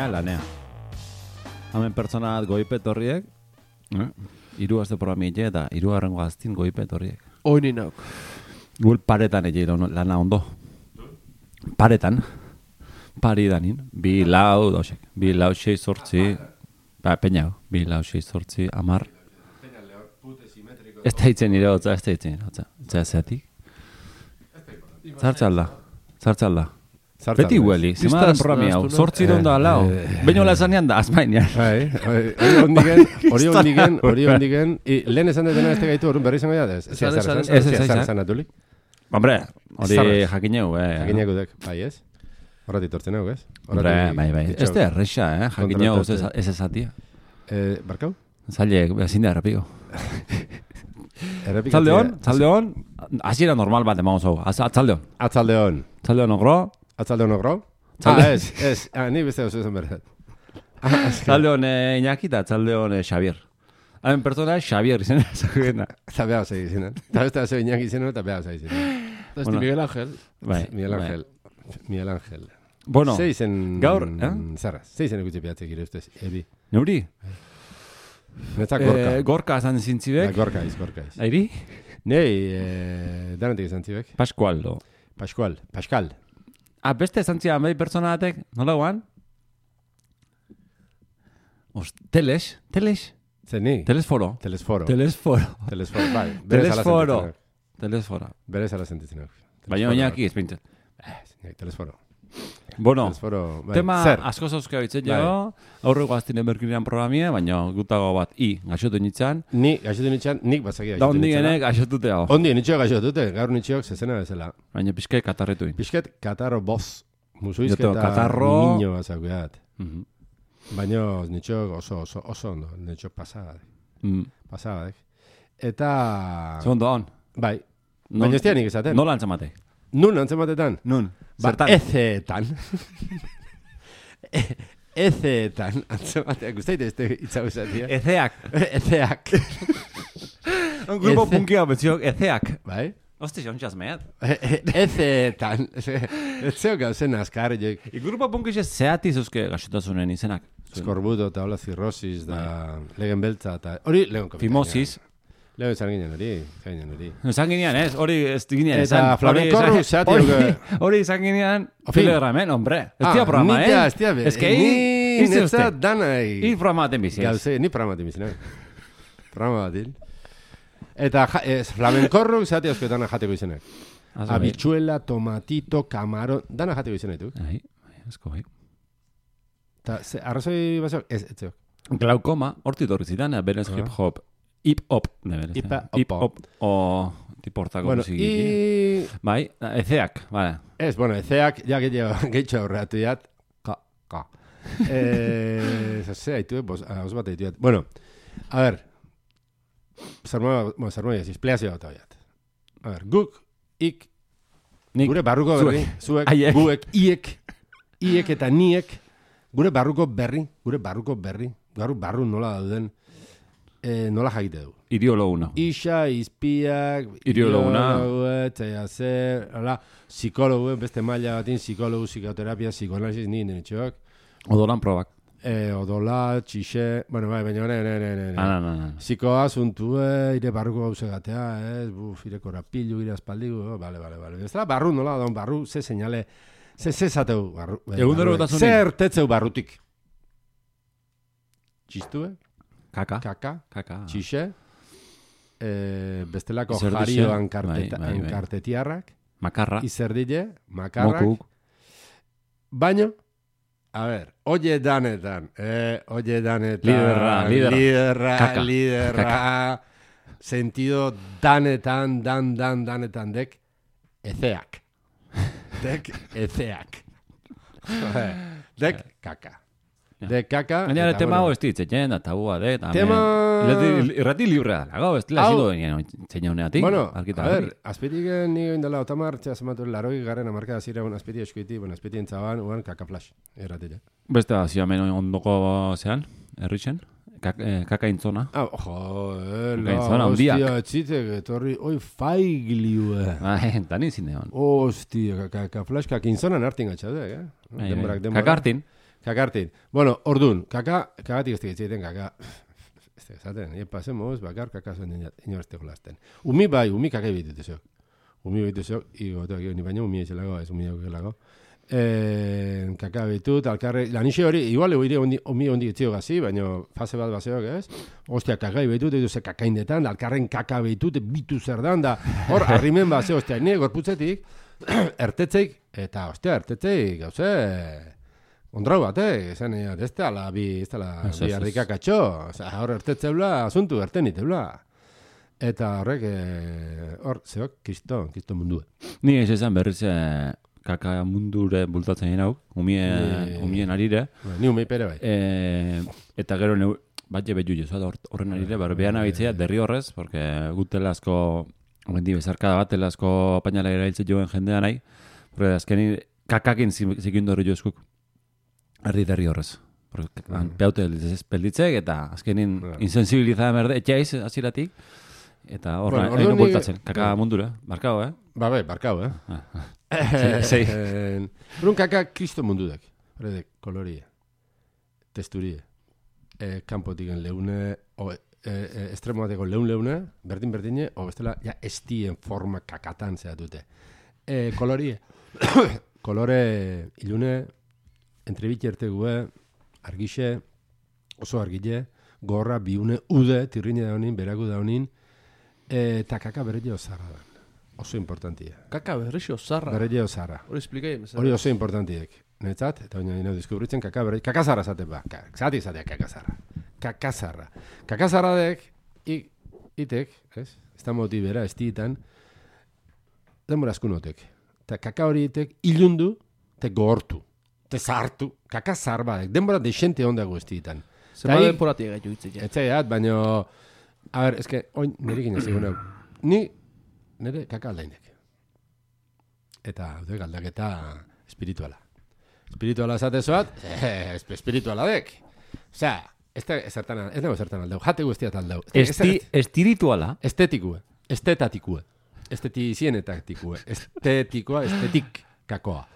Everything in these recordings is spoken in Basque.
ja lanea. Hemen pertsona goipet horriek, hiru aste programile eta hirugarrengo gaztin goipet horriek. Oini nauk. Guel paretan egin lana ondo. Paretan. Paridanin. 2 lau, dausek. 2 lau, 6 zortzi. Peñau. 2 lau, 6 zortzi, 10. Ez da hitzen nire hotza, ez da hitzen nire hotza. Ez da zeatik. Zartzalda. Beti hueli, zemaren programi hau. Zortzi da lau. Baina hola esanean da, azmainean. Hori ondigen, lehen esan detena ez tegaitu horren berri izango da, ez? Ez esan atulik. Hombre, hori jakineu, Jakinegu dek, bai ez? Horrat itortzen hau, ez? Bai. Ez da erreixa, jakineu ez esatia. Barkau? Zailek, ezin da errepiko. Tzaldeon, hasiera normal bat emango zau. Atzaldeon. Atzaldeon ogro? Ez, ni beste oso esan berret. Tzaldeon Iñaki eta tzaldeon Xavier. Hain pertsona Xavier izena zakena. Eta behar zai izenen. Eta beste oso Iñaki izenen eta behar zai izenen. Eta Miguel Ángel. Miguel Ángel. Bueno, gaur, zerraz, zeizen egutxe piatzek ire ustez, ebi. Neuri? Netzak gorka. Gorka esan zintzibek. Gorka iz. Airi? Nei, danetik esan zibek. Pascual. Beste esan zian, behi pertsona batek, nola guan? Teles? Zeni? Telesforo, bai. Bere zala sentitzen. Baina oinaki ez pintzen. Telesforo. Bueno, bai. Tema asko zauzkeo itzen jo, aurreko aztinen berkinean programia, baina gutago bat gaixotu nintzen. Nik batzaki gaixotu nintzen. Da ondigenek gaixotute hau. Nitxok gaixotute, gaur nitxok zezena bezala. Baina pixket katarretu. Pixket katarro boz. Musuizketa niño bazakuat. Baina nitxok oso ondo, nitxok pasadak. Eta... Segundo hon. Bai. Baina ez nik esaten. Nola antzamate? Nun antzamatetan? Nun. Zertan? Ezeetan. Antzamateak, guztaite ez itzago esatia. Ezeak. Un grupo punkia betziok, ezeak. Bai? Hosti, xontxaz mehat. Ezeetan. Ez zeo gauzen azkar, joik. Grupo punkix ez zeati zuzke gaxotasunen izenak. Skorbuto eta hola zirrosis da legen beltza eta... Hori lehen komentaria. Fimosis. Lehen esan ginen hori. Esan ginean, ez? Hori ez ginean esan. Eta flamenkorru zeati duke. Hori esan ginean, filogramen, hombre. Ez tia programa, Ez tia, Ez que ni netza danai. Ni programa baten bizi. Gauze, ni programa baten bizi, programa baten. Eta flamenkorru zeati askoetana jateko izenak. Habichuela, tomatito, camarón, dana jateko izenak du. Ai, asko, bai. Eta arrazoi bazok, ez zeok. Glaukoma, horti torri zidan, berez hip-hop. Hip-hop, neberez. Hip-hop. O tipo hortako musiki. Bai, ezeak, bale. Ez, ezeak, ja gehitxo aurreatu diat. Ka. Zase, haitu, hauz bat haitu diat. Bueno, a ver. Zarmoia, pleazio bat haiat. A ver, guk, ik, gure barruko berri, zuek, guek, iek eta niek, gure barruko berri, gaur barru nola dauden, nola jakite du. Iriologuna. Isa, izpiak, psikologu, beste maila batin, psikologu, psikoterapia, psikoanalisis, ni denetxoak. Odolan probak. Odola, txixe, baina ne. Psikoa, zuntu, ire barruko gauze gatea, ire korapilu, ire aspaldigu, bale. Ez da, barru nola da, barru, ze seinale, ze zateu barru. Zer tetzeu barrutik. Txistue? Kaka. Txixe. Bestelako jario ankartetiarrak. Makarra. Izerdile. Makarrak. Mokuk. Baino. A ver. Oye danetan. Liderra. Sentido danetan. Dek. Ezeak. Dek kaka. De kaka. Baina tema hau ez ditzen, da tabua, tema... Irrati librea da, ez dila zido zein honeatik. Bueno, a ver, azpetik nigo indala otamar, txasmatu laroi garen amarka zira, azpeti eskuiti, azpeti entzaban, uan kaka flash, irratila. Beste da, ziamen ondoko zean, erritxen, kaka intzona. Hostia, etzitek, etorri, oi faigliue. Tani zinean. Hostia, kaka flash, kaka intzonan hartin gatxadek, Kaka hartin. Kakartin. Bueno, ordun, kagatik ez egiten kaka. Ez esaten, pasemos, bakar kakazen inoreste jolasten. Umi kakai bitutezok. Umi bitutezok, ni baina umi ezelago, ez umi aukelago. Kaka bitut, alkarre, lanixe hori, igual egoire umi hondi etzio gazi, baina fase bat baseok, ez? Ostia, kakai bitut, edo ze kakaindetan, alkarren kaka bitut, bitu zer dan, da, hor, arrimen base, ostia, nire gorputzetik, ertetzeik, eta, ostia, ertetzeik, gauze, ondrau bat, esan egin, ez da bi harrikakatxo, hor ertetzeula, asuntu, erteniteula. Eta horrek, hor, zeok, kiston mundua. Ni ez esan berriz kaka mundure bultatzen hau, umien arire. Ni umei pere bai. Eta gero bat jebe juiz, horren arire, behan abitzea, derri horrez, porque gutela asko, omendi bezarkada bat, asko painala erailtzen joen jendea nahi, porque azkeni kakakin zikindu horri joezkuk. Derri horrez. Peaute pelditzek eta azkenin insensibilizada merde, etxaiz aziratik, eta horra, egin bultatzen, kaka mundura, barkau, Ba, barkau, Sei. Brun kaka kristo mundudak, horredek, kolorie, testurie, kanpotiken leune, estremoateko leune, berdin-berdine, o bestela, ja, estien forma kakatan zehatute. Kolorie, kolore ilune, entrebitxerte gue, argixe, oso argile, gorra, biune, ude, tirrine daunin, beraku daunin, eta kaka berretio zarra da. Oso importantia. Kaka berretio zarra? Berretio zarra. Hori esplikai, mesera. Hori oso importantiek. Netzat, eta baina ino deskubritzen kaka zarra zaten ba. Zatik zatea kaka zarra. Kaka zarra. Kaka zarra dek, itek, ez? Ez da moti bera, ez ditan, denbora askunotek. Eta kaka hori itek ilundu, te gehortu. Te zartu, kaka zarba, denbora desente ondago ez ditan. Zema denporatik gaitu hitzik. Etzaiat, baina, a ber, eske, oin, nirekin ez egun hau. Nire kaka aldainek. Eta, galdaketa espirituala. Espirituala esatezoat, espirituala dek. Osea, ez nago zertan aldau, jate guztiat aldau. Espirituala? Estetikue, estetatikue, estetizienetaktikue, estetik kakoa.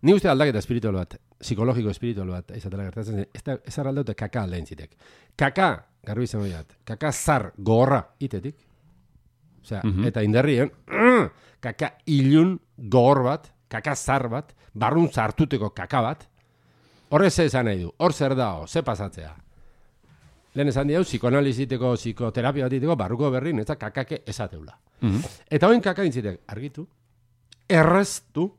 Ni uste aldaketa espiritual bat, psikologiko espiritual bat, izatela gertatzen, ez araldaute kaka aldain zitek. Kaka, garbi izan horiat, kaka zar gogorra itetik, osea, eta indarrien, kaka ilun gogor bat, kaka zar bat, barrun zartuteko kaka bat, horre ze esan nahi du, hor zer dao, ze pasatzea. Lehen esan diau, psikoanaliziteko, psikoterapia bat iteko, barruko berrin, ez da kakake esateula. Eta hoin kaka intzitek, argitu, erreztu,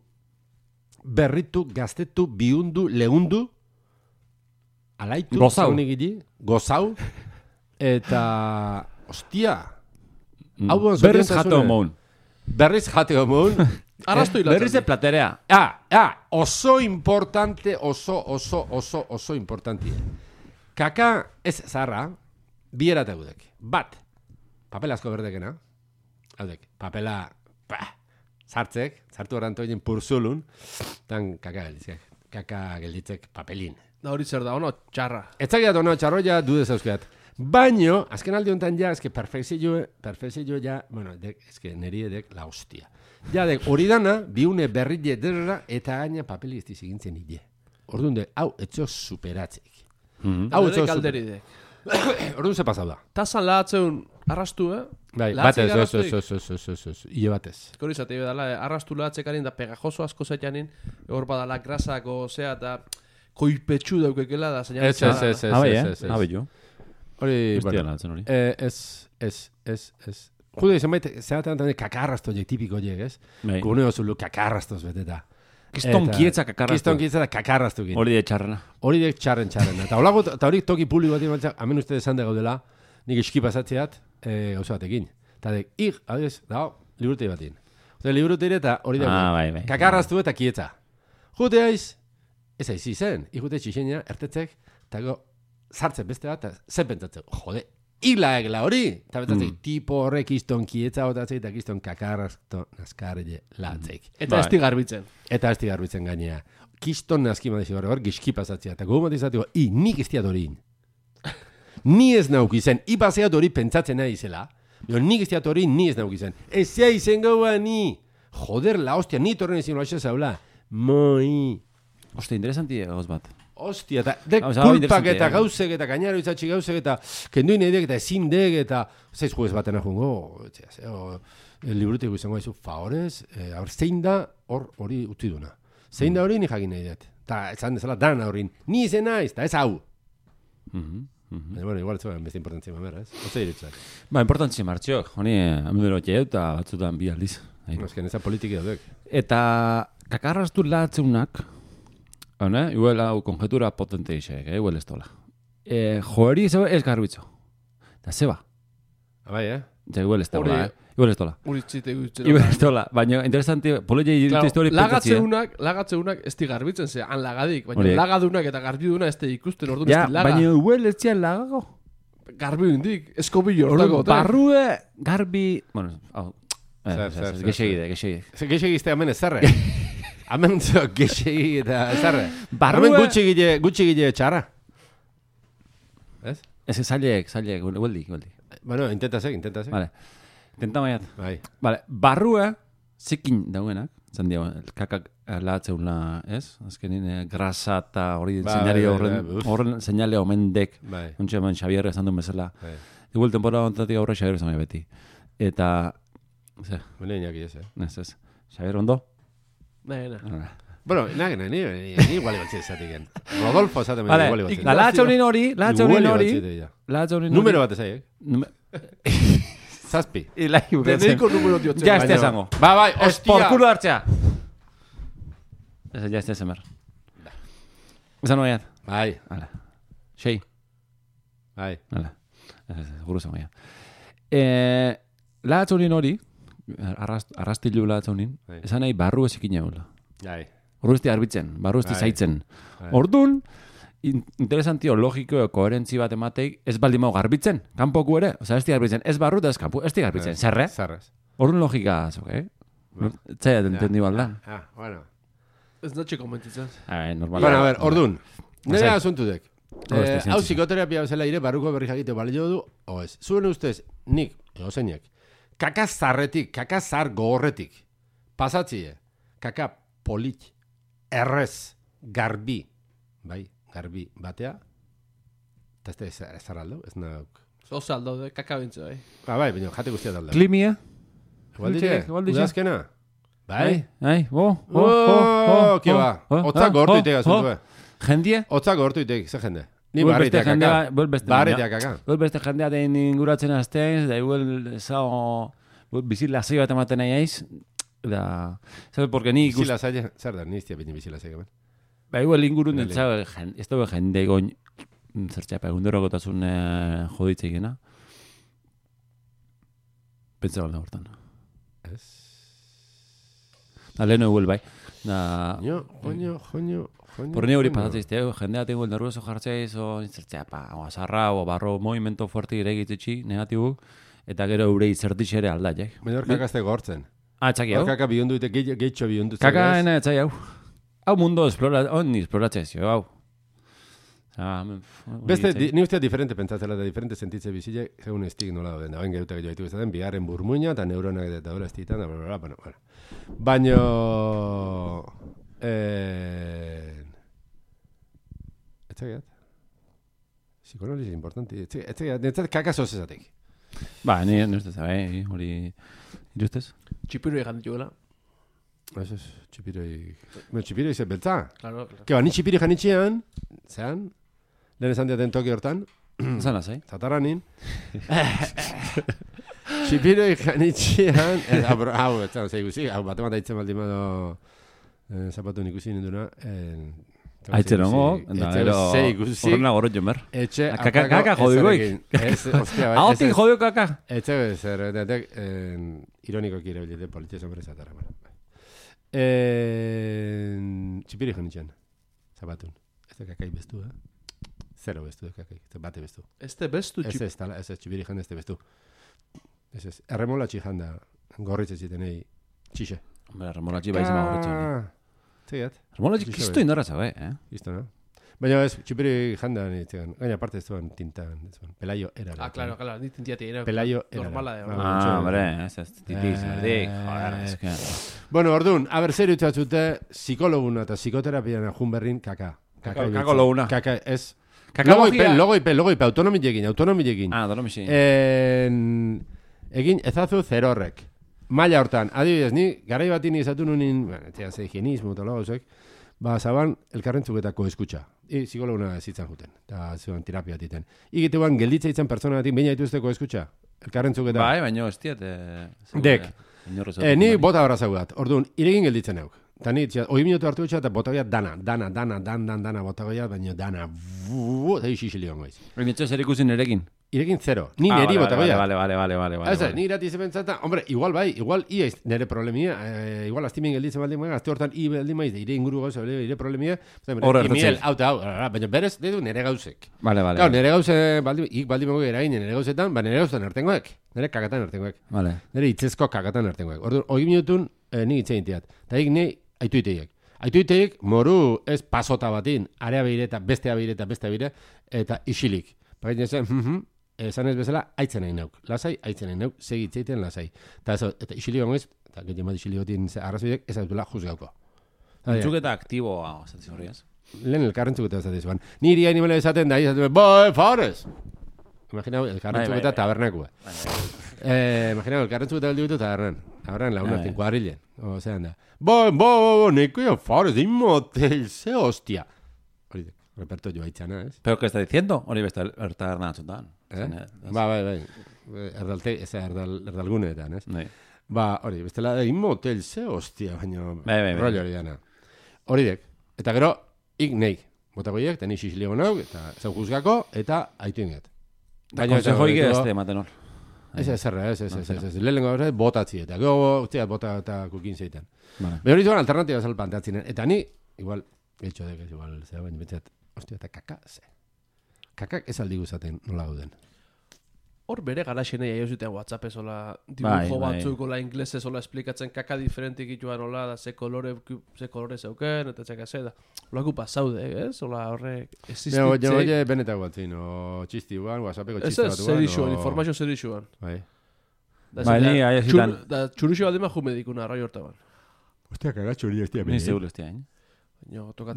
berritu, gaztetu, bihundu, lehundu, alaitu, gozau, eta, ostia, berriz jateo moun. Berriz jateo moun. Arrastu hilatzen. Berriz platerea. Oso importante, oso importante. Kaka ez zarra, bi erategudek. Bat, papela asko berdekena, haudek, papela, sartu erantoinen purzulun, tan kaka gelditzek papelin. Da hori zer da, ono txarra. Etzakiat ono txarroia dudez euskeat. Baino, azken aldi honetan ja, eske perfezio ja, bueno, eske neri edek la hostia. Ja, hori dana, biune berrile derra, eta gaina papeli ez dizigintzen hile. Orduan de, hau, etxo superatzeik. Hau, etxo superatzeik. Orduan ze pasau da. Tazan lahatzeun arrastu, Bai, batez, hile batez. Hori zate, arrastu lahatzekarin da pegajoso asko zaitanin, hor badala grasako, zea, eta koipetxu daukekela da, zein Ez. Hori, bueno, ez. Jude, izan baita, zeratzen kakarrazto je, tipiko je, ez? Gune oso kakarraztoz beteta. Kiston kietza kakarrazto. Kiston kietza da kakarraztu gin. Hori de txarrena. Hori de txarren. Eta hori toki publiko bat imantzak, hemen uste desan gaudela, nik eski pasatzeat, gauza batekin. Eta adiz, liburutei batin. Liburutei eta hori da, kakarraztu eta kietza. Jute aiz, ez aiz izen, ikute txixenia, ertetzek, eta sartzen beste bat, zen pentsatzen, jode, hilaegla hori, eta betatzen, tipo horrek izton kietza botatzen, eta izton kakarrazto naskarele latzeik. Eta ez garbitzen. Eta ez garbitzen gainea. Kiston naski madizi hor gizki pasatzea, eta gogo matizateko, nik ez diat hori. Ni ez nauk izen, ipaseat hori pentsatzen nahi izela, nik ez diat hori, ni ez nauk izen. Ez zea izen gaua ni. Joder, la hostia, ni torren ezin loaxe zaula. Moi. Oste, interesanti gauz bat. Ostia, eta kulpak eta gauzek eta gainaro izatxi gauzek eta kenduin edek eta ezin dek eta zeiz juez batena jungo, liburutiko izango haizu favorez, zein da hori utzi duna. Zein da hori ni jakin nahi dut. Eta esan dezala dan horin, ni izen naiz, eta ez hau. Bueno, igual ez beste importantzia mamera, ez? Oze diretzak. Importantzia martxok, honi amudero txeu eta batzutan bi aldiz. Ezken eza politiki daudek. Eta kakarraztu latzeunak, igual hau konjetura potente isek, igual ez tola. Joeri ez garbitzo. Eta zeba. Abai, Igual ez tola, Igual ez tola. Uritzite gutzen. Igual ez tola, baina interesanti, polei egin histori pentsatzi. Lagatzeunak ez di garbitzen ze, han lagadik, baina lagadunak eta garbiduna ez di ikusten orduan ez di laga. Baina igual ez zian lagago. Garbi hundik, eskobillo hortako. Barrue, garbi, bueno, hau. Gexegide. Gexegizte hemen ez zarre. Hemen gexegi eta ez zarre. Hemen gutxigile txarra. Ez? Ez zailek, hueldi. Bueno, intentasek. Vale. Intenta maiat. Bai. Vale, barrua zikin dauenak, zan dio, kakak lahatzeula, ez? Azkenin grasa eta hori horren seinale omendek, ontsa hemen Xabier esan duen bezala. Igual temporada ontatik aurre Xabier esan beti. Eta, ze? Bene inaki ez, Ez. Xabier ondo? Bueno, ni igual ibatzi esatik. Rodolfo esaten igual ibatzi. La lahatxaunin hori. Número bat ezaiek. Zazpi. Deneiko número diotzen. Ja, ez esango. Bai, hostia. Por culo hartzea. Ja, ez emer. Esan noiat. Bai. Hala. Xei. Bai. Hala. Guru esan noiat. Lahatzaunin hori, arrastilu lahatzaunin, esan nahi barru ezikin jaula. Bai. Ordu ez di garbitzen, barru ez di zaitzen. Ordun, interesantio logiko koherentzi bat emateik ez baldin mau garbitzen, kanpoku ere, oza, ez di garbitzen, ez barru eta ez kanpu, ez di garbitzen, zerre? Zerrez. Orduan logika azok, Zaila entendi baldan. Bueno. Ez natxe komentitzen. Normal. Bueno, a ver, ordun. Nire asuntu dek. Hau psikoterapia bezala ire barruko berri jakite balio du, o ez. Zuen ustez, nik, egozeinek, kakazarretik, kakazar gogorretik, pasatzie, kaka polit, errez, garbi, bai, garbi batea, eta ez zara aldo, ez nauk. Oza aldo, kakabintze, bai. Bai, baina jate guztia aldo. Klimia? Udazkena? Bai? Ki ba, otzak gortu itega zuntu, Jendie? Otzak gortu itega, ze jende. Ni barritea kaka. Barritea kaka. Beste jendea den inguratzen aztean, da igual zao bizilazio bat ematen nahi aiz, da, ¿sabes? Porque ni bizilazio, zer da, niztia bine bizilazio gaben. Ba, igual ingurun ez dago jende goin zertxapa, egunderokotasun joditzegena. Pentsa balda hortan. Ez. Da, leheno igual bai. Joño. Por ni hori pasatzizte, jendea tengo el nervioso jartzeiz, o zertxapa, o azarra, o barro movimento fuerte iregitzitxi, negatibu, eta gero eurei zertixere aldaiek. Baina hor kakazte gortzen. Txaki hau? Hor kaka bihondu ite, geitxo bihondu. Kaka ena etzai hau. Hau mundo esploratzezio, hau. Beste, ni ustea diferente pentsatzela eta diferente sentitze bizile, segun estik nola dauden. Da, ben gerutak jo ditu izaten, bigarren burmuina, eta neuronak eta hori estitan, da, bueno. Baina... Etxegat. Psikonaliz importante. Etxegat, netzat kakazoz ezatek. Ba, ni ustez, hori... Irustez? Txipiro egan dituela. Eso es, txipiroi... Txipiroi ze beltza. Claro. Keba, ni txipiri janitxean, zean, lehen esan diaten toki hortan, Zan azai? Zataranin. Txipiroi janitxean, hau, etzan, zei guzi, hau, bat emata itzen baldin bado zapatu ikusi ninduna, aitzen ongo, da, ero, horrena gorot jomer. Etxe, kaka jodi goik. Ahotik jodio kaka. Etxe, zer, ironiko kire bilete politia sombre zatara. Txipiri janitxean, zapatun. Ez da kakai bestu, Zero bestu, kakai, bate bestu. Ez da bestu txipiri. Ez txipiri jan, ez da bestu. Ez, erremolatxi janda, gorritze zitenei, txixe. Hombre, erremolatxi baizema gorritzen. Zegat. Erremolatxi kisto indarratza, Kisto, no? Baina ez, txipiri janda, gaina parte ez duan tintan, pelaio era. Claro, ni tintiati era. Pelaio era. Normala da. Hombre, ez titiz, erdik, joder, ez que... Bueno, orduan, zer utzatzute, psikologuna eta psikoterapiana jun berrin, kaka. Kako loguna. Kaka, ez. Kakabogia. Logoipe, autonomiekin. Autonomiekin. Egin ezazu zerorrek. Maila hortan, adibidez, ni garai batin izatu nunin, higienismo eta lagozek, zaban elkarrentzuketako eskutxa. Psikologuna zitzan juten, eta zegoen terapia titen. Igitean gelditza itzen persona batin, baina dituzteko eskutxa. Elkarrentzuketa. Bai, baina ez diat. Dek. Ni bota horra zaudat. Orduan, iregin gelditzen euk. Eta ni, 8 minutu hartu etxea, eta botagoia dana botagoia, baina dana, eta isixili gongoiz. Baina zer ikusin erekin? Irekin zero. Ni neri botagoia. Vale. Ez, ni irati zepentzata, hombre, igual iaiz nere problemia, igual astimin gelditzen baldin maiz, azte hortan baldin maiz, ire inguru gauza, ire problemia, imiel, baina berez, dedu nere gauzek. Vale. Gau, nere gauze, baldin mago erain, nere gauzetan, nere gauzetan ertengoek, nere kakatan ertengoek. Vale. Nere itzezko kakatan ertengoek. Orduan, 8 minutun, ni itzein tiat. Eta ni aituiteiek. Aituiteiek, moru ez pasota batin, area behireta, bestea behire, eta isilik. Baina esan ez bezala, aitzen nahi nauk. Lasai, aitzen nahi nauk, segitzeiten lasai. Eta isilik gongoiz, eta gehiago isilik gotin arrazoidek, ez dutela juzgauko. Entzuketa aktiboa, zatzi horriaz. Lehen elkarrentzuketa ez zuan. Niri hain nimele esaten da, Fares! Imaginau, elkarrentzuketa tabernakua. Imaginau, elkarrentzuketa beldu ditu tabernan. Tabernan launatzen, kuadrilen. Ozean da. Nekoia Fares, inmotel, ze hostia. Hori, reperto joa itxana, ez? Pero, ¿qué está diciendo? Hori besta ertabernan atzutan. Bai. Erdalguneetan, ez? Hori, bestela inmotel, ze hostia, baina rollo hori dana. Hori dek. Eta gero, ik neik. Botagoiek, eta ni xixiligo nauk, eta zau juzgako, eta aitu inget. Konsejoik ez ematen hor. Ez. Lehenengo hori botatzi eta. Gero, bota eta kukin zeiten. Baina hori zuan alternatiba zal planteatzen. Eta ni, igual, geltxo dek, igual, zera baina betzat, hostia, eta kaka, ze. Kakak ez aldi guzaten nola gauden. Hor bere garaxenei aio zuten WhatsApp ezola dibujo batzuk, ola inglesez ola esplikatzen kaka diferentik ituan ola, da ze kolore zeuken, eta txeka ze, da. Olako pasaude, ez? Ola horrek existitzei. Oie benetak batzin, o txisti guan, WhatsAppeko txisti bat guan. Ez, zerixuan, informazio zerixuan. Bai, ni aia zitan. Da txuruxo bat dema jumedikuna, arrai hortaban. Hostia, kagatxo hori ez tia. Ni seguro ez tia,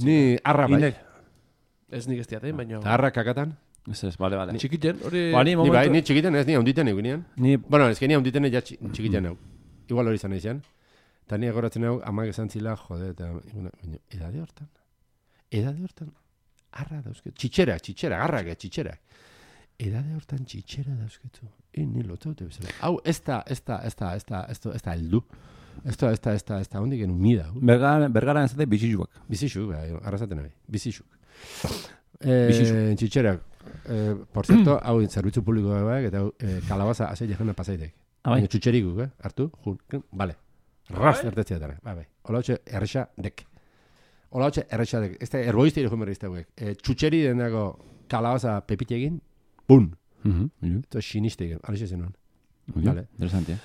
Ni arra bai. Ez nik ez diaten, baina... Arra kakatan? Ez, vale. Ni txikiten, hori... Ni bai, ni txikiten ez, ni haunditen egunean. Bueno, ez que ni haunditen ja txikiten hau. Igual hori izan izan. Eta ni agoratzen hau, amak esan zila, jode, eta... Edade hortan, arra dauzketu. Txitxera, garrak, txitxera. Edade hortan txitxera dauzketu. Ni lotzaute bezala. Hau, ez da heldu. Ez da hondik genuen mida. Bergara ez da bizixuak. Bizixuk, arrazaten nahi. Bizixuk. Txitxerak, por cierto, hau zerbitzu publiko eta kalabaza azei jena pasaitek. Txutxerikuk, hartu, vale. Rast ertetzea dara, bai. Ola hotxe errexa dek. Ez da erboizte ire jumerri izteuek. Txutxeri den dago kalabaza pepitegin, bun. Eta siniste egin, alixe zenuen. Vale. Interesante,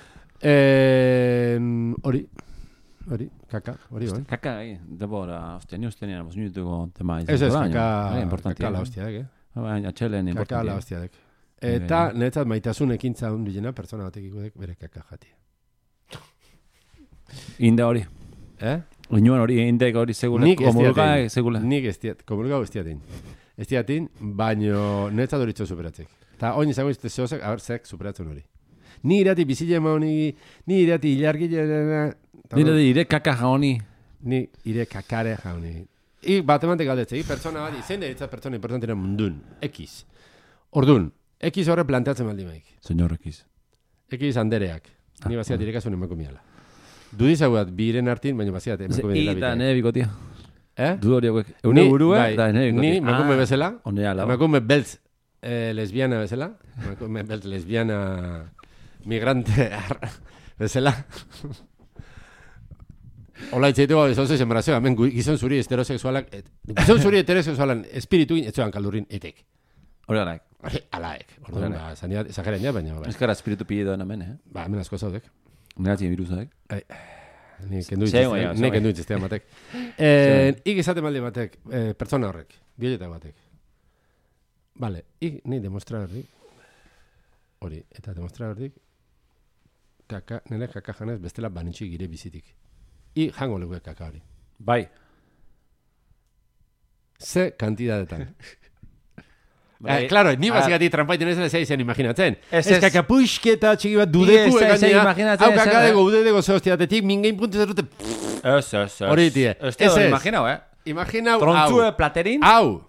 Hori, kaka, hori bai. Kaka, debora, hostia, ni hostia nian, minutuko tema izan. Ez, kaka la hostiadek, Atxelen, importantia. Kaka la hostiadek. Eta, netzat maitasun ekintza hundilena, persona batek ikudek bere kaka jati. Inde hori. Uinuan hori, indek hori segula. Komulga segula. Nik ez diat, komulga ez diatin. Ez diatin, baino netzat hori txo superatzek. Eta oin izango izte zehozak, zek superatzen hori. Ni irati bizile mauni, ni irati hilargile... Ni irati ire kaka jauni. Ni ire kakare jauni. Bat emante galdetze, pertsona bat, zein deritzat pertsona importantena mundun, X. Ordun, X horre planteatzen baldi maik. Señor X. X andereak. Ni baziat irekasun emako miala. Dudizagu bat, biren hartin, baina baziat emako miala. Eta nire bikotia. Dudo horiek. Eune burua, eta nire bikotia. Ni emakume bezala, lau. emakume beltz lesbiana bezala, emakume beltz lesbiana migrante bezala. Ola itzaitu ez hau zezen barazioa, hemen gizon zuri heterosexualak, gizon zuri heterosexualan espiritu etxoan kaldurrin etek. Hori alaek. Alaek. Orduan, zaniat, exageren ja, baina... Eskara espiritu pide doan hemen, hemen asko zaudek. Negatzen virusek. Ni kendu itzestea batek. Ik izaten balde batek, pertsona horrek, bioletak batek. Vale, ik ni demostra berdik, hori, eta demostra berdik, nire kaka janez bestela banitxik gire bizitik. I jango leguek kaka hori. Bai. Ze kantidadetan. Claro, ni bazikati trampaiten ez da izan imaginatzen. Ez kakapuixketa txiki bat dudeku egainea. Hau kakadego, udedego zehostiatetik, mingein puntu zerrute. Ez. Hori tie. Ez imaginau, Imaginau, Trontzue platerin. Hau.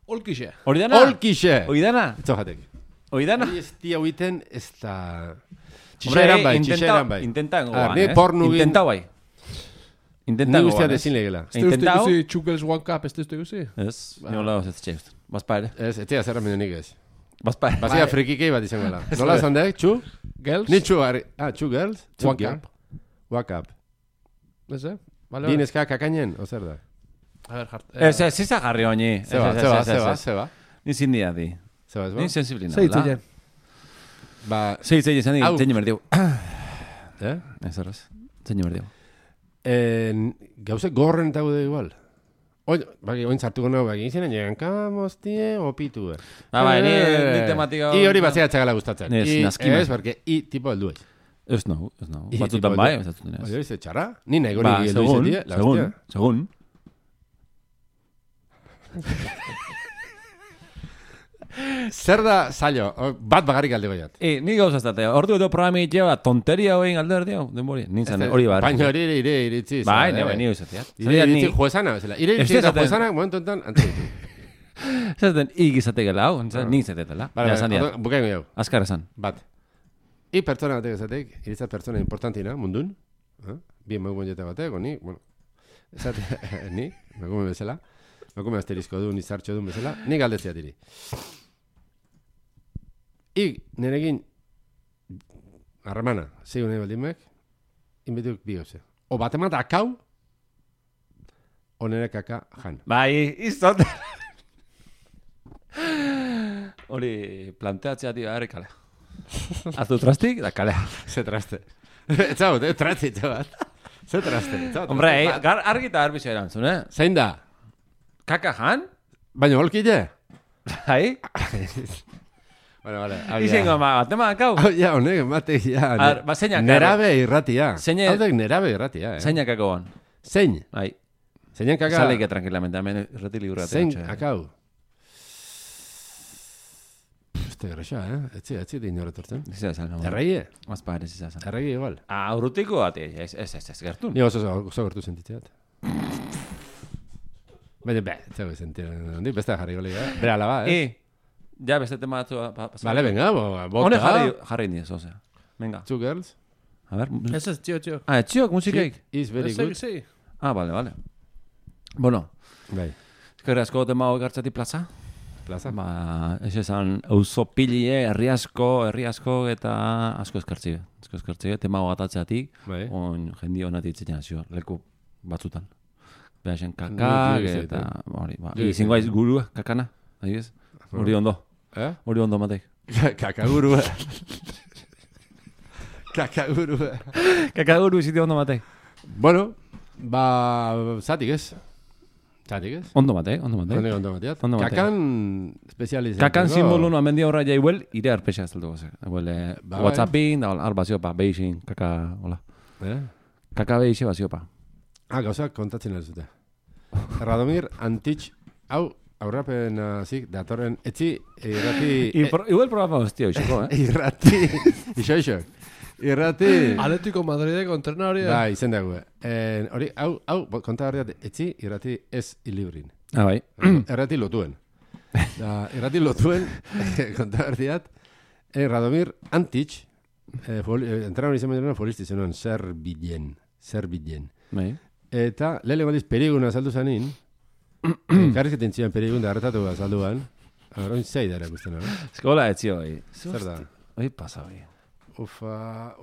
Olkixe. Olkixe. Oidana. Etzojatek. Oidana. Hori ez tia huiten, ez da... Txixeran bai. Intentango bai. Ni guztia dezin legela. Este uste iguzi Chugels One Cup, este uste iguzi? Ez, niola ez txeust. Bazpa ere. Ez tia zerra menenik ez. Bazpa ere. Bazia frikikei bat izan gala. Nola zandek, Chu? Girls? Ni Chu, Chu Girls? One Cup. One Cup. Ez, Bineska kakainen, o zer da? A ver, jart. Ez izan jarri honi. Zeba. Ni zindia di. Zeba, Ni sensiblina. Zeitzile. Zeitzile izan di, zein emerdiu. Ez horrez, zein emerdiu. Gauze gorren eta gude igual. Oin zartuko nago baki izan, llegan kamostie opitu. Ni tematika... I hori bazea txagala gustatzen. Naskima. Ez, porque i tipo heldu ez. Ez nahu. Batzutan bai, batzutan ez. Hori, ze txarra? Ni nahi gori heldu izatea. Segun. Zer da zailo? Bat bagarrik aldeko jat. Ni gauz ez dute. Ordu edo programi itxea, tonteria hoin alde erdio. Denbori. Nintzen hori bar. Baina hori ire iritzi. Bai, ni izatea. Ire iritzi juezana. Ire iritzi eta juezana, momentu enten, antzitu. Zaten, igizate gela hau. Nik zatetela. Bukaino jau. Azkar esan. Bat. I pertsona batek ezatek, iritza pertsona importantina, mundun. Bien magu jete batek, ni, bueno. Ni, magume bezala. Magume asterizko du, nizartxo duen bezala. Ni galdetzea diri. Nerekin harremana, zeigu nahi baldimek, inbetuk bi gauze. O bat emat akau, o nere kaka jan. Bai, izot. Hori planteatzea tira ere kalea. Azu trastik, da kalea. Ze traste. Etxau, traste, txabat. Ze traste. Hombre, argi eta arbizio erantzun, Zein da? Kaka jan? Baina holkide? Bai? Bueno, vale. Izengo batema akau. Ja, honek, matek, ja. Zeinak nerabe irratia. Haudek nerabe irratia, Zeinak akau ban. Zein? Bai. Zeinak akau. Saleike tranquilamente, hemen irrati liburra. Zein akau. Este gresa, Etzi din horretortzen. Erregie? Mazpa ere zizazan. Erregie igual. Urrutiko bat, ez gertun. Ni oso gertu sentitzeat. Baina, zego sentitzen. Beste jarri goli, Bera alaba, Ja, beste tema batzu... Vale, venga, bota. Hone jarri indiez, osea. Venga. Two girls. A ver. Ez, txio. Txiok, musikeik. Is very good. Sí. Vale. Bueno. Bai. Eskerri asko tema hoi gartzati plaza. Plaza? Ez esan auzo pilie, herri asko, eta asko eskartzi. Tema hoi gatatzeatik. Bai. On jendi honatik zitzen azio, leku batzutan. Behasen kakak, eta... Izingo aiz gurua, kakana. Adibidez. Hori ondo. Hori ondo matek. Kakaguru. Kakaguru izite ondo matek. Bueno, zatik ez. Ondo matek. Ondo mateat. Kakan espezializatu. Kakan simbolu no amendia horra jaibuel, ire arpexa ez dugu. Whatsappin, arba ziopa, beixin, kaka, hola. Kaka beixe baziopa. Gauzak kontatzen erzute. Radomir Antich, hau, aurrapen zik, datorren, etzi, irrati... Igual programa hostia, oixoko, Irrati, iso. Irrati... Atletico Madrideko entrenari. Ba, izen dago. Hori, hau, konta garriat, etzi, irrati ez ilibrin. Bai. Irrati lotuen. Irrati lotuen, konta garriat, Radomir Antich, entrenari izan bedurena, folisti zenuen, Zerbidien. Bai. Eta, lehele baliz periguna saldu zanin, karrizketen zian perigun da hartatu azalduan. Horoin zei da erakusten, Eskola etzio, Zer da? Oi, pasa, oi. Ufa.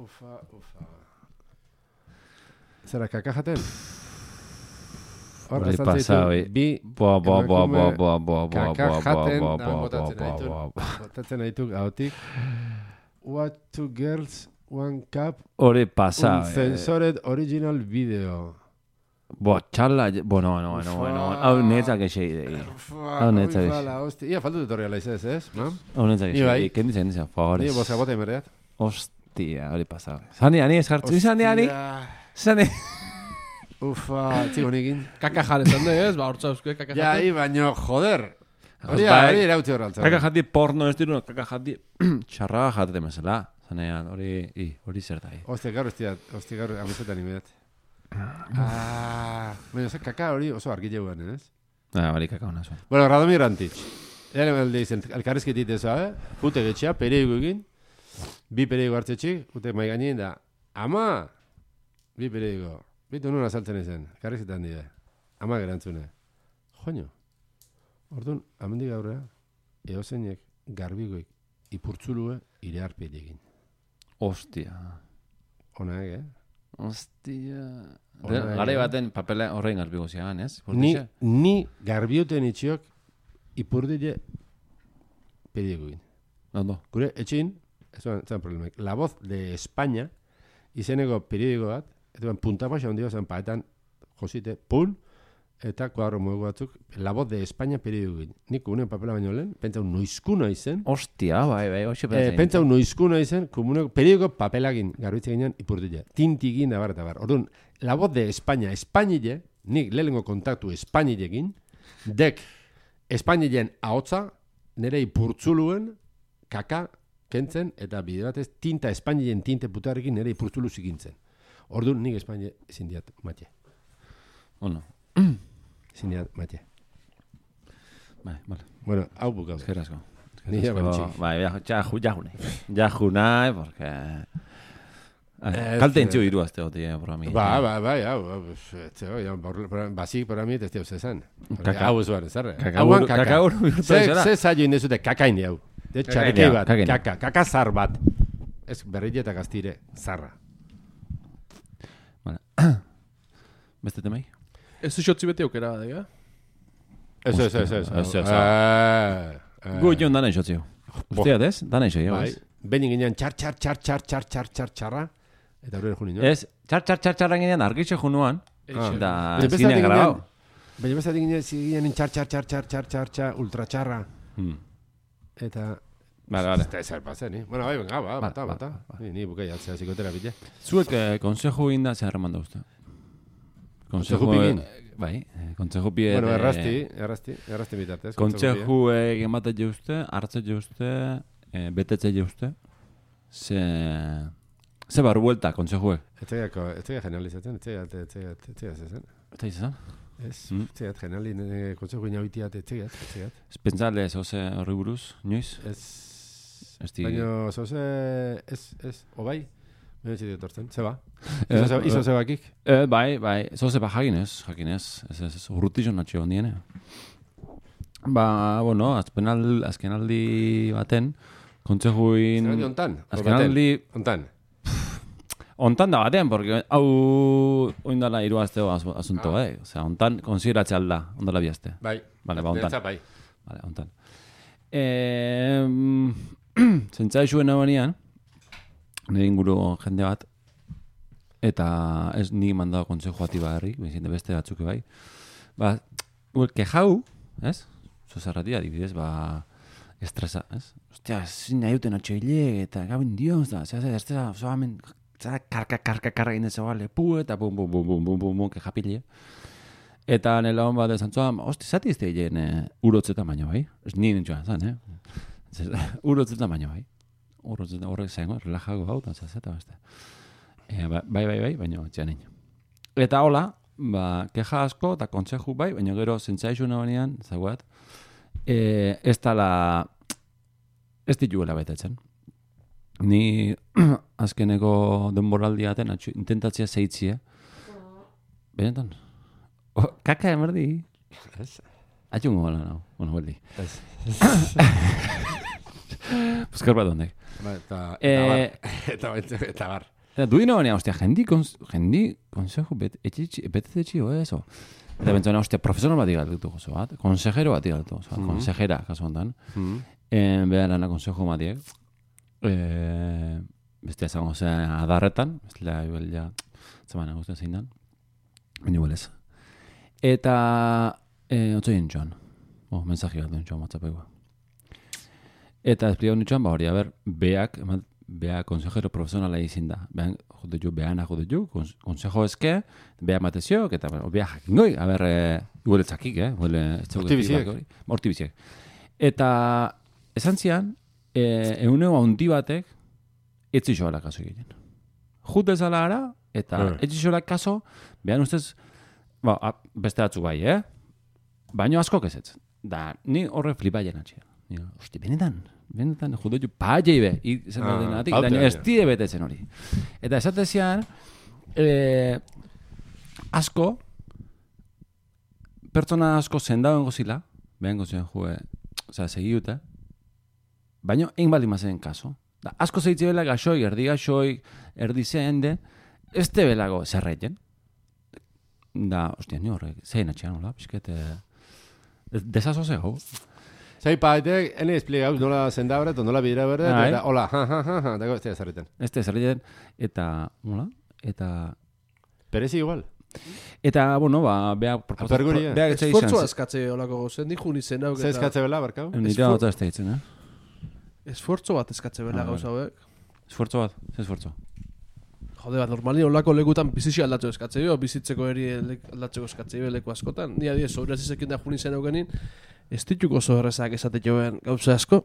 Zera, kaka jaten? Hori pasa, oi. Kaka jaten, botatzen haituk, hautik. What two girls, one cup. Hori pasa, Uncensored original video. Txala, no. Hau netzak esei dei. Hau netzak esei. Ia, faltu dut horrela izaz, ez? Hau netzak esei. Kenditzen, favores. Ni, bosa bota emerreat. Hostia, hori pasa. Zani ez jartu. Zani. Ufa, txigo nikin. Kaka jarezan de, ez? Ba, hortza euskue, kaka Ja, jate. baino, joder. Hori erautzi horraltza. Kaka jati porno ez diru, kaka jati txarra jatete mesela. Zanean, hori zer da. Hostia, gaur amesetan imedat. Baina, kaka hori oso argile guan, ez? Bari kaka hona zuen. Bueno, Radomir Antich. Era alde izen, elkarrezketit ez, pute getxea, perigo egin. Bi perigo hartzetxik, pute maiganin da. Ama! Bi perigo. Bitu nuna saltzen ezen, elkarrezketan dide. Ama gerantzune. Joño. Orduan, amendik gaurrea, eozeinek garbigoik ipurtzulue ire arpietegin. Ostia. Ona Ostia. Garai baten papela horrein garbigo ziagan, ez? Ni garbioten itxiok ipurdile pedieguin. Ondo. Gure, etxin, ez zan problemek, La Voz de España, izeneko periodiko bat, eta puntapaxa ondio zen paetan, josite, pun, eta kuadro muegu batzuk, La Voz de España periodikoin. Nik unen papela baino lehen, pentsau noizkuna izen. Ostia, bai, hoxe pentsau noizkuna izen, periodiko papelagin garbitze ginean ipurdile. Tintigin da bar. Orduan, La Voz de España, Espainile, nik lehengo kontaktu Espainilekin, dek Espainileen ahotza, nire ipurtzuluen, kaka, kentzen, eta bide batez, tinta Espainileen tinte putarrekin nire ipurtzulu zikintzen. Orduan, nik Espainile zindiat matxe. Ono. Zindiat matxe. Bai, vale. Bueno, hau bukau. Eskerrazko. Nire bantxik. Bai, jajunai, porque... Kalte entzio iru azte gote programi. Bai, hau. Basik programi ez teuz esan. Hau ez baren, zerre. Kaka uru. Ze zailo indezute kakaini hau. Txarikei bat, kaka zar bat. Ez berrile eta gaztire, zarra. Beste temai? Ez xotzi beti aukera bat, Ez. Gu joan dana xotzi. Usteat ez? Dana xotzi. Bai. Benin ginean txar. Eta horren junin, no? Ez, txar ginean argitxe junuan. Da, zinean grabau. Baina bezatik ginean txar, ultratxarra. Eta... Vale. Eta ez alpazen, ni? Bueno, bai, venga, bata. Ni bukai altzea psikoterapia. Zuek konsejo inda zer remanda uste? Konsejo pigin? Bai, konsejo pie... Bueno, errasti bitartez. Konsejo egin bat uste, hartze uste, betetze uste. Ze barru buelta, konsejuek? Ez tega generalizatzen, ez tega zezen. Eta izan? Ez tega generalin, konseju inaubitiat, ez tega. Pentsale, zoze horri buruz, inoiz? Ez. Baina, zoze, ez, obai? Baina txitik etortzen, zeba? Izo zebakik? Bai, zoze ba jakinez. Ez, urrutizon natxio ondiene. Ba, bueno, azkenaldi baten, kontsejuin... Zer ontan? Azkenaldi... Ontan da batean, porque hau oindala iruazteo asunto, Osea, ontan konsideratze alda, ondala biazte. Bai. Vale, ba, ontan. Bai. Vale, ontan. Zentzaixuen abanean, nire inguru jende bat, eta ez ni mandao konsejo ati baharri, bezinte beste batzuk bai. Ba, kejau, ez? Zozarratia, adibidez, estresa, ez? Ostia, zin nahi duten atxoile, eta gabin dioz da, estresa, zoamen... Zara karka egin dezago lepu eta bum, kejapile. Eta nela hon bat ezantzua, hosti, zati izte egin urotzeta baino, bai? Ez nien entzuan zan, Urotzeta baino, bai? Urotzeta horrek zaingo, relajago hau, eta zazeta beste. Bai, baino, txean egin. Eta hola, keja asko eta kontseju bai, baina gero zentzaixu nabanean, zagoat, ez dituela betetzen. Ni azkeneko denboraldiaten intentatzea zeitzie. Benetan? Kaka emerdi? Ez. Atxungo gala, no? Bueno, beldi. Ez. Buskar bat ondek. Eta bar. Duino baina, ostia, jendi konsejo betetzetxio, eso. Eta bentzona, ostia, profesional bat igaltu gozo bat. Konsejero bat igaltu gozo bat. Konsejera, kaso ontan. Behan lana konsejo matiek. Bestia zango adarretan, bestia ja, zemana guztien zein dan, baina huelez. Eta, otzoien txoan, mensaji bat duen txoan WhatsAppeko. Eta esplikaun txoan, hori, beak, bea consejero profesionala izin da. Behan jode ju, consejo eske, bea matezio, eta bea jakingoi, a ber, igual etzakik, Mortibiziek. Eta esan zian, eguneo handi batek, etzi xoala kaso egiten. Jut ezala ara, eta etzi xoala kaso, behan ustez, beste batzuk bai, baino asko kezetzen. Da, ni horre flipa jenatxea. Hosti, benetan, jude ju paia ibe, izan denatik, daño ez tide betetzen hori. Eta esatezian, asko, pertsona asko zendauen gozila, behan gozian segiute, baino, egin baldin mazen kaso. Da, asko zeitze bela gaxoi, erdi zehende, ez te belago zerreiten. Da, hostia, ni horrek, zein atxean, hola, pixket, desazo zego. Zai paitek, ene espligau, nola zendabret, nola bidera berdet, eta hola, dago, ez te zerreten. Ez te zerreten, eta, hola, eta... Perezi igual. Eta, bueno, bea... Aperguria. Esfortzua eskatze holako gozen, dikun izan hau. Ze eskatze bela, barkau? Nire hau ez da hitzen, Esfortzo bat eskatze bela gauza hauek. Esfortzo bat, ze esfortzo? Jode bat, normalin olako lekutan bizitxo aldatzeko eskatze bio, bizitzeko eri aldatzeko eskatze bio leku askotan. Ni adiez, sobreaz izekin da juni zen eukenin, ez dituko oso errezak esate joen gauza asko.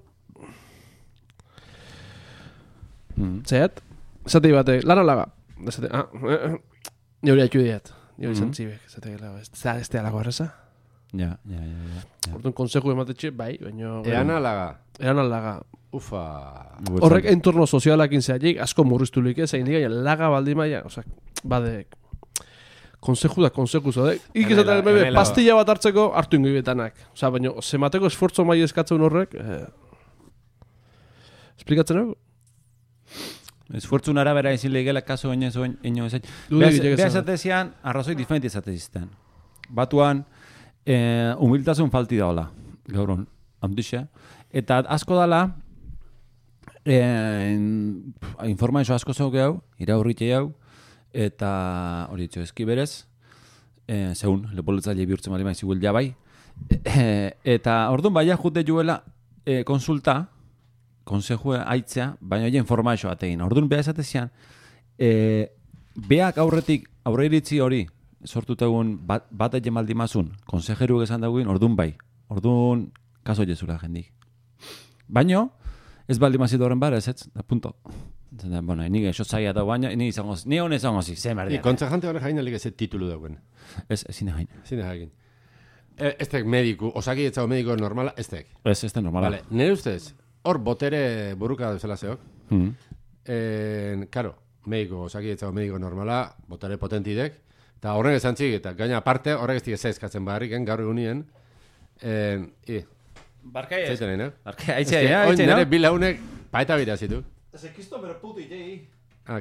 Zet, esate bate, lan alaga. Ni hori haitu diat, ni hori zantzibek, esate gela, ez te alago erreza? Ja. Orduan konseju ematetxe, bai, baina... Ean alaga. Ufa. Horrek entorno sozialakin zehatik, asko murriztulik ez, egin digaien laga baldi maia, oza, bade, konseju zodek. Ikizaten bebe, pastilla bat hartzeko, hartu ingoi betanak. Oza, baina, zemateko esfortzo maia eskatzen horrek, esplikatzen hau? Esfortzun arabera izin lehigela kaso ino ezain. Beha esatezian, arrazoi diferenti esatezizten. Batuan, humiltasun falti daola, gauron, handixe. Eta asko dala, informazio asko zeu gehau, iraurrite hau, eta hori ditxo ezki berez, zeun, lepoletzaile bihurtzen bali maiz iguel jabai. Eta orduan baina jute juela konsulta, konsejue aitzea, baina hori informazio ategin. Orduan beha esatezian, beak aurre iritzi hori, sortutegun bat egin maldimazun, konsejeru esan dagoen, orduan bai. Orduan, kaso jezula jendik. Baina, ez baldimazit horren bara, ez, da punto. Bueno, ni eso zaila da baina, ni hone izango zi, ze merdia. Konsejante horre jain alik ez titulu dagoen. Ez zine jain. Zine jain. Ez tek mediku, osaki etzago mediko normala, ez tek. Ez tek normala. Vale, nire ustez, hor botere buruka duzela zeok. Karo, mediko, osaki etzago mediko normala, botere potentidek, eta horrek esan txik, eta gaina aparte, horrek ez dik eskatzen barriken, gaur egunien, Barkai ez. Zaiten nahi, Barkai, aitzea, Oin nire bilaunek paeta bira zitu. Ez kiston bero puti tegi.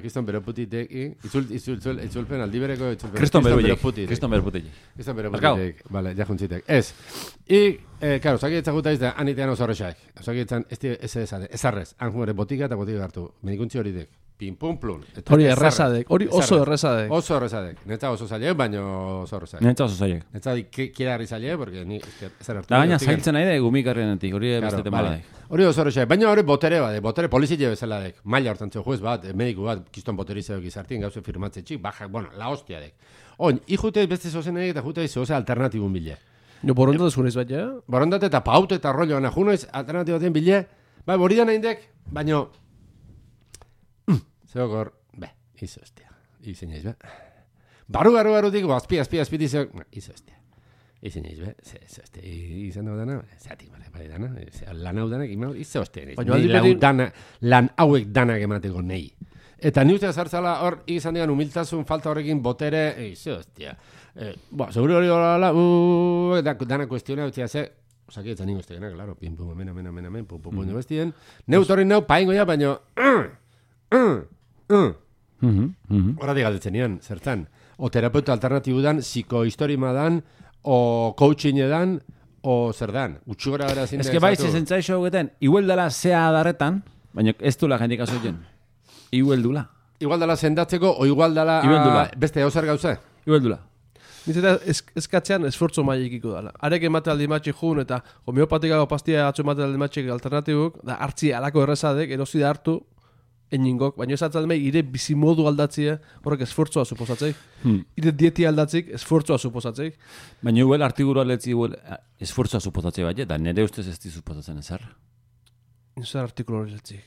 Kiston bero puti tegi. Itzulpen aldibereko itzulpen. Kriston bero puti. Kriston bero puti tegi. Vale, ja juntzitek. Ez. Claro, osaki etzaguta izan, anitean oso horrexaek. Osaki etzan, ez arrez. Anjumere botika eta botika hartu. Medikuntzi hori dek. Pim, pum, plun. Hori errezadek. Hori oso errezadek. Oso errezadek. Netza oso zailek, baina oso errezadek. Netza oso zailek. Netza kiera harri zailek, porque ni ezer hartu. Da baina zailtzen nahi da gumikarrenetik, hori beste tema daik. Hori oso errezadek. Baina hori botere bade, botere polizile bezala dek. Maila hortan zeu juez bat, mediku bat, kiston boterizeo gizartien gauze firmatze txik, bajak, bueno, la hostia dek. Oin, ikute beste zozen edek eta jute zoze alternatibun bile. Jo, borondatez junez bat, ja? Borondate eta paute eta rollo gana, junoiz alternatibaten bile, bai, hori da nahi dek, baina... Zeokor... Izo estia. Izen jaiz, be. Baru-dik, azpi dizok. Izo estia. Izen jaiz, be. Izo estia. Izan hau dana. Zatik, bale dana. Lan hau danak, izo estia. Lan hauek danak emateko nahi. Eta ni ustea zartzala hor, izan digan humiltasun falta horrekin botere. Izo estia. Seguro hori horrela, dana kuestiona utzia ze. Osaki etzan ningo estegena, claro. Pim, pum, amen, pum, bestien. Neut hori neu, paingo ja, baino... Horatik galdetzen nian, zertan. O terapeuta alternatibudan, psikohistorima dan, o coaching edan, o zer dan. Utxugora gara zinde. Ez que bai, zentzaixo hogeten, igual dela zea adarretan, baina ez dula jendik azoien. Igual dula. Igual dela sendatzeko, o igual dela beste hauzer gauza. Igual dula. Nintzeta eskatzean esfortzo mailekiko dela. Arek emate aldimatxik jun eta homeopatikago pastia atzu emate aldimatxik alternatibuk, da hartzi alako errezadek, erosi da hartu, eningok, baina ez atzalme ire bizimodu aldatzea, horrek esfortzua suposatzei. Ire dieti aldatzik, esfortzua suposatzei. Baina huel artikulu aletzi esfortzua suposatzei bat, eta nire ustez ez di suposatzen ezer. Zer artikulu hori zetzik.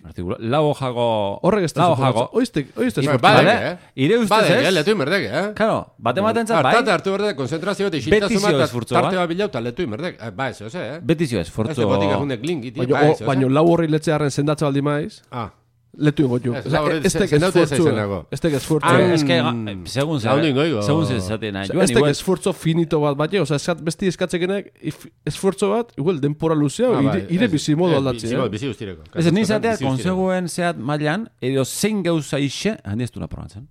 Lau hojago... Horrek ez da suposatzen. Oizte esfortzua. Badek, ire ustez ez? Badek, letu inberdek, Claro, bate maten zat, bai? Hartu berdek, konzentrazio bat, isiltasuma, tarte bat bilau, eta letu inberdek. Ba, ez, Betizio esfortzo... Ez botik egundek link, baina lau horri letzearen sendatze baldi maiz, letu ingo jo. Estek esfortzu. Segun ze zaten nahi. Estek esfortzo finito bat bat, besti eskatzekenek esfortzo bat, igual, denpora luzea, ire bizimodu aldatzi. Bizi guztireko. Ez nizatea, konseguen zehat mailan, edo zein gauza ixe, handi ez du naprobatzen.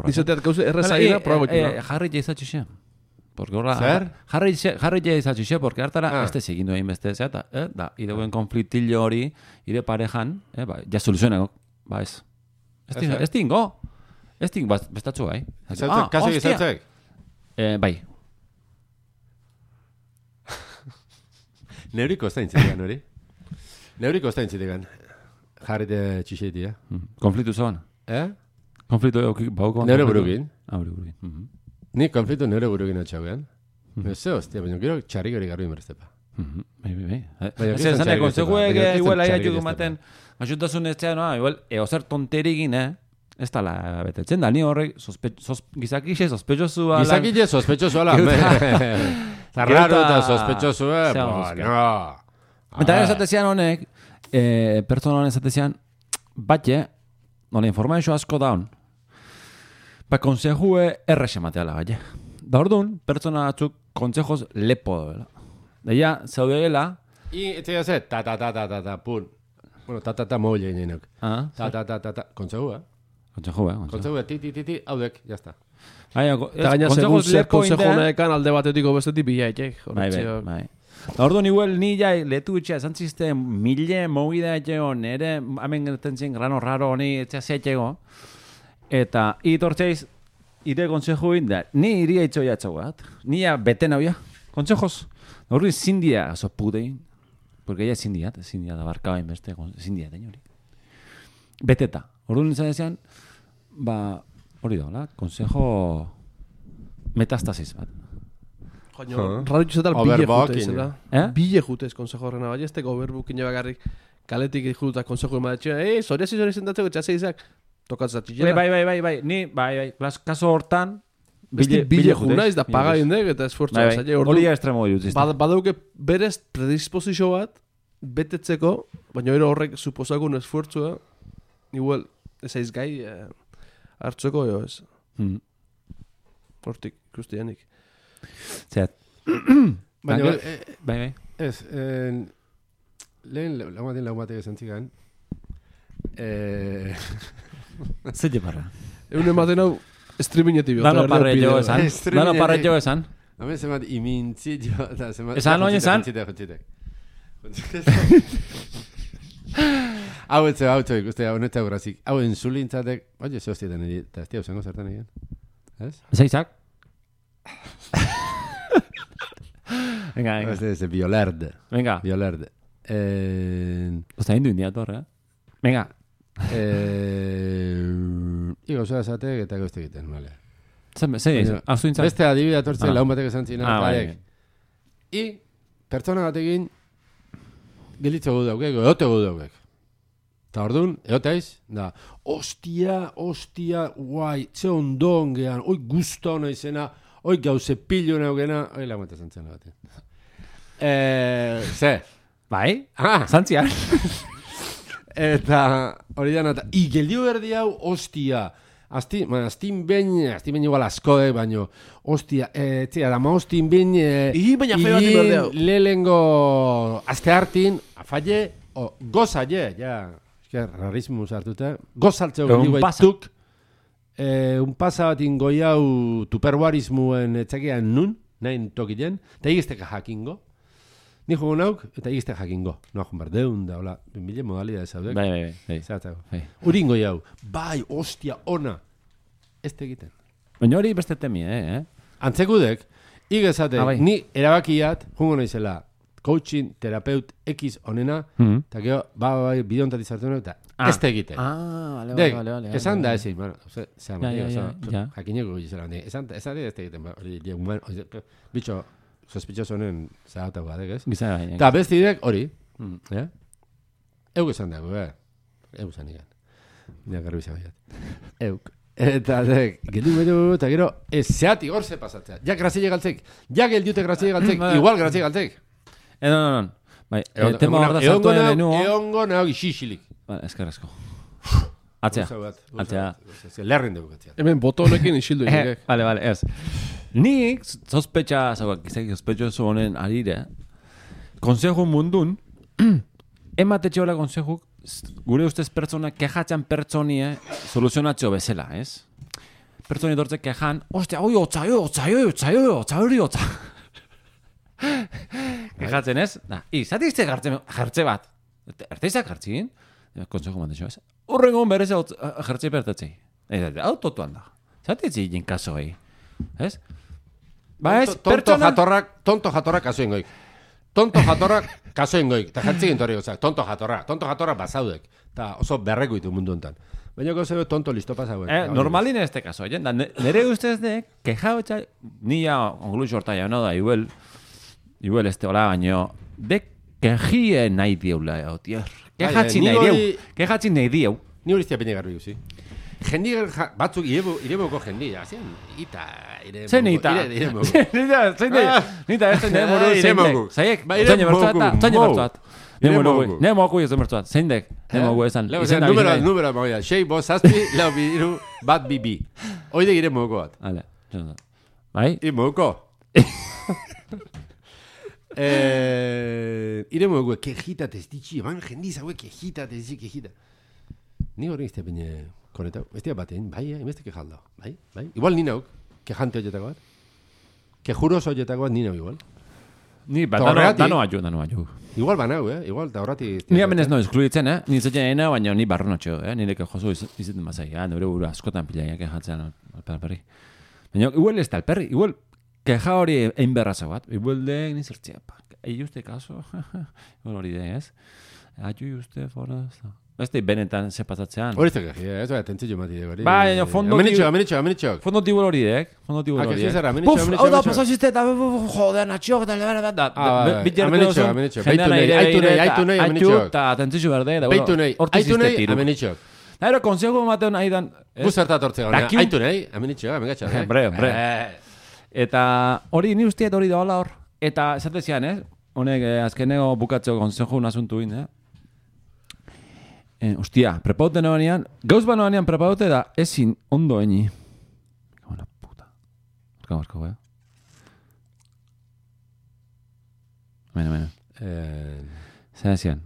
Nizateat gauza errezaina, probagotu. Jarri jaizatxe xe. Porque ahora jarri jaizatxe, porque hartara este segindu egin beste zehat, da, ideguen konfliktillo hori, ire parejan, ja soluzioneko, ba ez. Ez tingo, bestatzu gai. Kaso gizatzek? Bai. Neuriko ez da intzitegan hori? Neuriko ez da intzitegan. Jarri de txixeiti, Konfliktu zoan? Konfliktu bauko? Neure burukin. Burukin. Ni konfliktu neure burukin atxaugean. Ez hostia, baina gero txarrik hori garbi inbertzepa. Bai. Ez zane, konseguek igual aiatxuk ematen, asutasun ez txea, igual, eozer tonterigin, ez tala betetzen da, ni horrek gizakixe sospetxosua. Gizakixe sospetxosua la. Zarraro eta sospetxosua, no. Eta esatezian honek, pertsona honek esatezian, batxe, nole informazio asko daun, ba konsejue errexe mateala, batxe. Da orduan, pertsona batzuk konsejoz lepo doela. Deia, zaudeela... Eta ze, ta, pun. Bueno, ta, moile inenok. Ta, konsejua. Konsejua, ti, haudek, jazta. Eta gaina segun zer konsejonekan alde batetiko bestetik bilaitek. Bai. Orduan, igual, ni jai letu itxea, zantziste, mille mogida etxego, nere, hamen gertentzen grano raro honi etxea zeetxego, eta itortzeiz, ire konsejo inda, ni iria itxoia etxagoat, ni ya beten hauia, konsejos, horri zindia aso putein, porque ella zindia da barkaba inbeste, zindia tein hori. Beteta, orduan izan dezean, ba, hori da, konsejo metastasis bat. Joño, radio txetal bile jutez, bile jutez konsejo horrena, bai, esteko overbookin bakarrik kaletik juta konsejo emadatxea, zoriasi zendatzeko txaseizak, tokatzat txilera. Bai, ni, kaso hortan, bile juna ez da paga indek eta esfortzu. Hori estremo dut. Badauke berez predisposizio bat, betetzeko, baina horrek suposakun esfortzua, igual, ez aiz gai, hartzeko jo ez. Hortik, ikustianik. Zeat. Bai. Ez, lehen laumatik esan zigan, Zer barra? Egun ematen hau, streamingetik Dano parretxo esan. Hamen zemat imintzitio. Esan oin esan? Hau etze, ikuste, honetak horazik. Hau entzulintzatek, oie, ze hostietan egin, eta ez tia usango zertan egin. Ez? Zeizak? Venga. Ez violerde. Venga. Violerde. Osta hindu indiator, Venga. Igo zoa esatek eta gauzte egiten, vale. Zer, beste adibidea tortzen laun batek esan zina. I, pertsona batekin gelitze gu daukek, eote gu daukek. Eta orduan, eoteiz, da, ostia, guai, ze ondon gehan, oi guzta hona izena, oi gauze pillo neugena, oi lagun eta zantzen batean. Ze? Bai? Zantzian. Eta hori dana, geldio berdi hau, ostia, astin behin igual asko, baino, ostia, txea, dama ostin behin, baina feo bat berde hau. Lehengo azte hartin, afalle, gozalle, ja, rarismo hartuta, gozaltzeo geldio baituk, un pasa bat ingoi hau tuperwarismuen etxakean nun, nahin tokilen, eta egizteka jakingo. Ni jugo nauk, eta egizte jakingo. Noa joan bardeun da, hola, mille modalidades haudek. Bai. Zeratago. Urin goi hau, bai, ostia, ona. Ez tegiten. Baina hori beste temi, Antzekudek, igezate, ni erabakiat, jungo naizela, coaching, terapeut, X onena, eta gero, bide ontat izartzen eta ez da egiten. Vale. Esan da ezin, bueno, jakineko gizela, esan da ez da egiten, bitxo, sospitxoso honen zahatago badek, ez? Eta bestidek hori, euk esan dago, euk esan ikan. Nire garbi zabaiat. Euk. Eta geldu bedu, eta gero, ez zeatik hor ze pasatzea. Ja grazile galtzek, ja geldiute grazile galtzek, igual grazile galtzek. Non. Bai, tema hor da zartu egin denua. Eongo nago ixixilik. Eskerrezko. Atzea. Lerren dugu gatzea. Hemen botonekin isildu egin. Vale, ez. Nik sospetxa, sospetxoso honen arire, konsejo mundun, ematetxe hola konsejuk, gure ustez pertsona, kexatxan pertsonie soluzionatxo bezala, ez? Pertsoni dortzek kejan, ostia, oi, otza. Kejatzen ez? Izatizte jartze bat. Erteizak jartzin? Konsejo mantetxo ez? Urrengon berez jartze pertatzei. Hau totuan da. Zatitzi jin kasoi. Ez? Ba ez, pertsona... Tonto jatorrak kasoengoik. Tonto jatorrak kasoengoik. Eta jartzi gintori gozak. Tonto jatorrak bazaudek. Eta oso berreko ditu mundu honetan. Baina gozeo tonto listo pasauek. Normalin ez te kaso. Nere ustez de, keja hotxa, nia ongluxo horta jau da, igual ez te hola baino, de kejie nahi dieula, tier. Kejatzi nahi dieu. Ni hori iztia pene garbi guzi. Jendi batzuk ireboko jendi, azien, ita, ireboko. Zen ita? Nita, ez den muru zeindek. Zaiek, zaine bertzuat. Nemoku ez den bertzuat. Zeindek, nemoku esan. Numero, moia. 6, 5, 7, 4, 3, 2, 1, bi. Oide gire moko bat. Hale, bai? Moko. Ire moko, kejita testitxi, eman jendi zaue kejita testitxi, kejita. Ni hori izte pene konetau. Ez dira batean, bai, emezte kejaldo. Bai. Igual ni nauk, kejante horietako bat. Kejuroso horietako bat ni nauk igual. Ni, dano aju. Igual banau, igual, da horrati... Ni amenez no eskluditzen, Ni zetzen ena, baina ni barronotxo, Nire kejoso izaten mazai, nire buru askotan pilaiak kejatzean alperri. Baina, igual ez da alperri, igual keja hori egin berraza bat. Igual de, ni zertzea, egi uste kaso, igual hori de, ez? Aju uste, fora, Este benetan se pasatzean. Hori zeke, ez da tentzio mati de hori. Bai, fondo Amenitxo. Fondo tibul horiek. Amenitxo. Hau da pasaziste eta joder, natxok eta lebera da. Amenitxo. Aitu nahi, amenitxo. Eta tentzio berde. Aitu nahi, amenitxo. Eta konsejo mateo nahi dan. Guzerta tortzea. Aitu nahi, amenitxo, amengatxa. Hombre. Eta hori ni usteet hori da hola hor. Eta esatezian, honek azkeneko bukatzeko konsejo nasuntu in, Ostia, prepaute noanean, gauz banoanean prepaute da ezin ondo eni. Bona puta. Marka, Bueno. Zer ezian?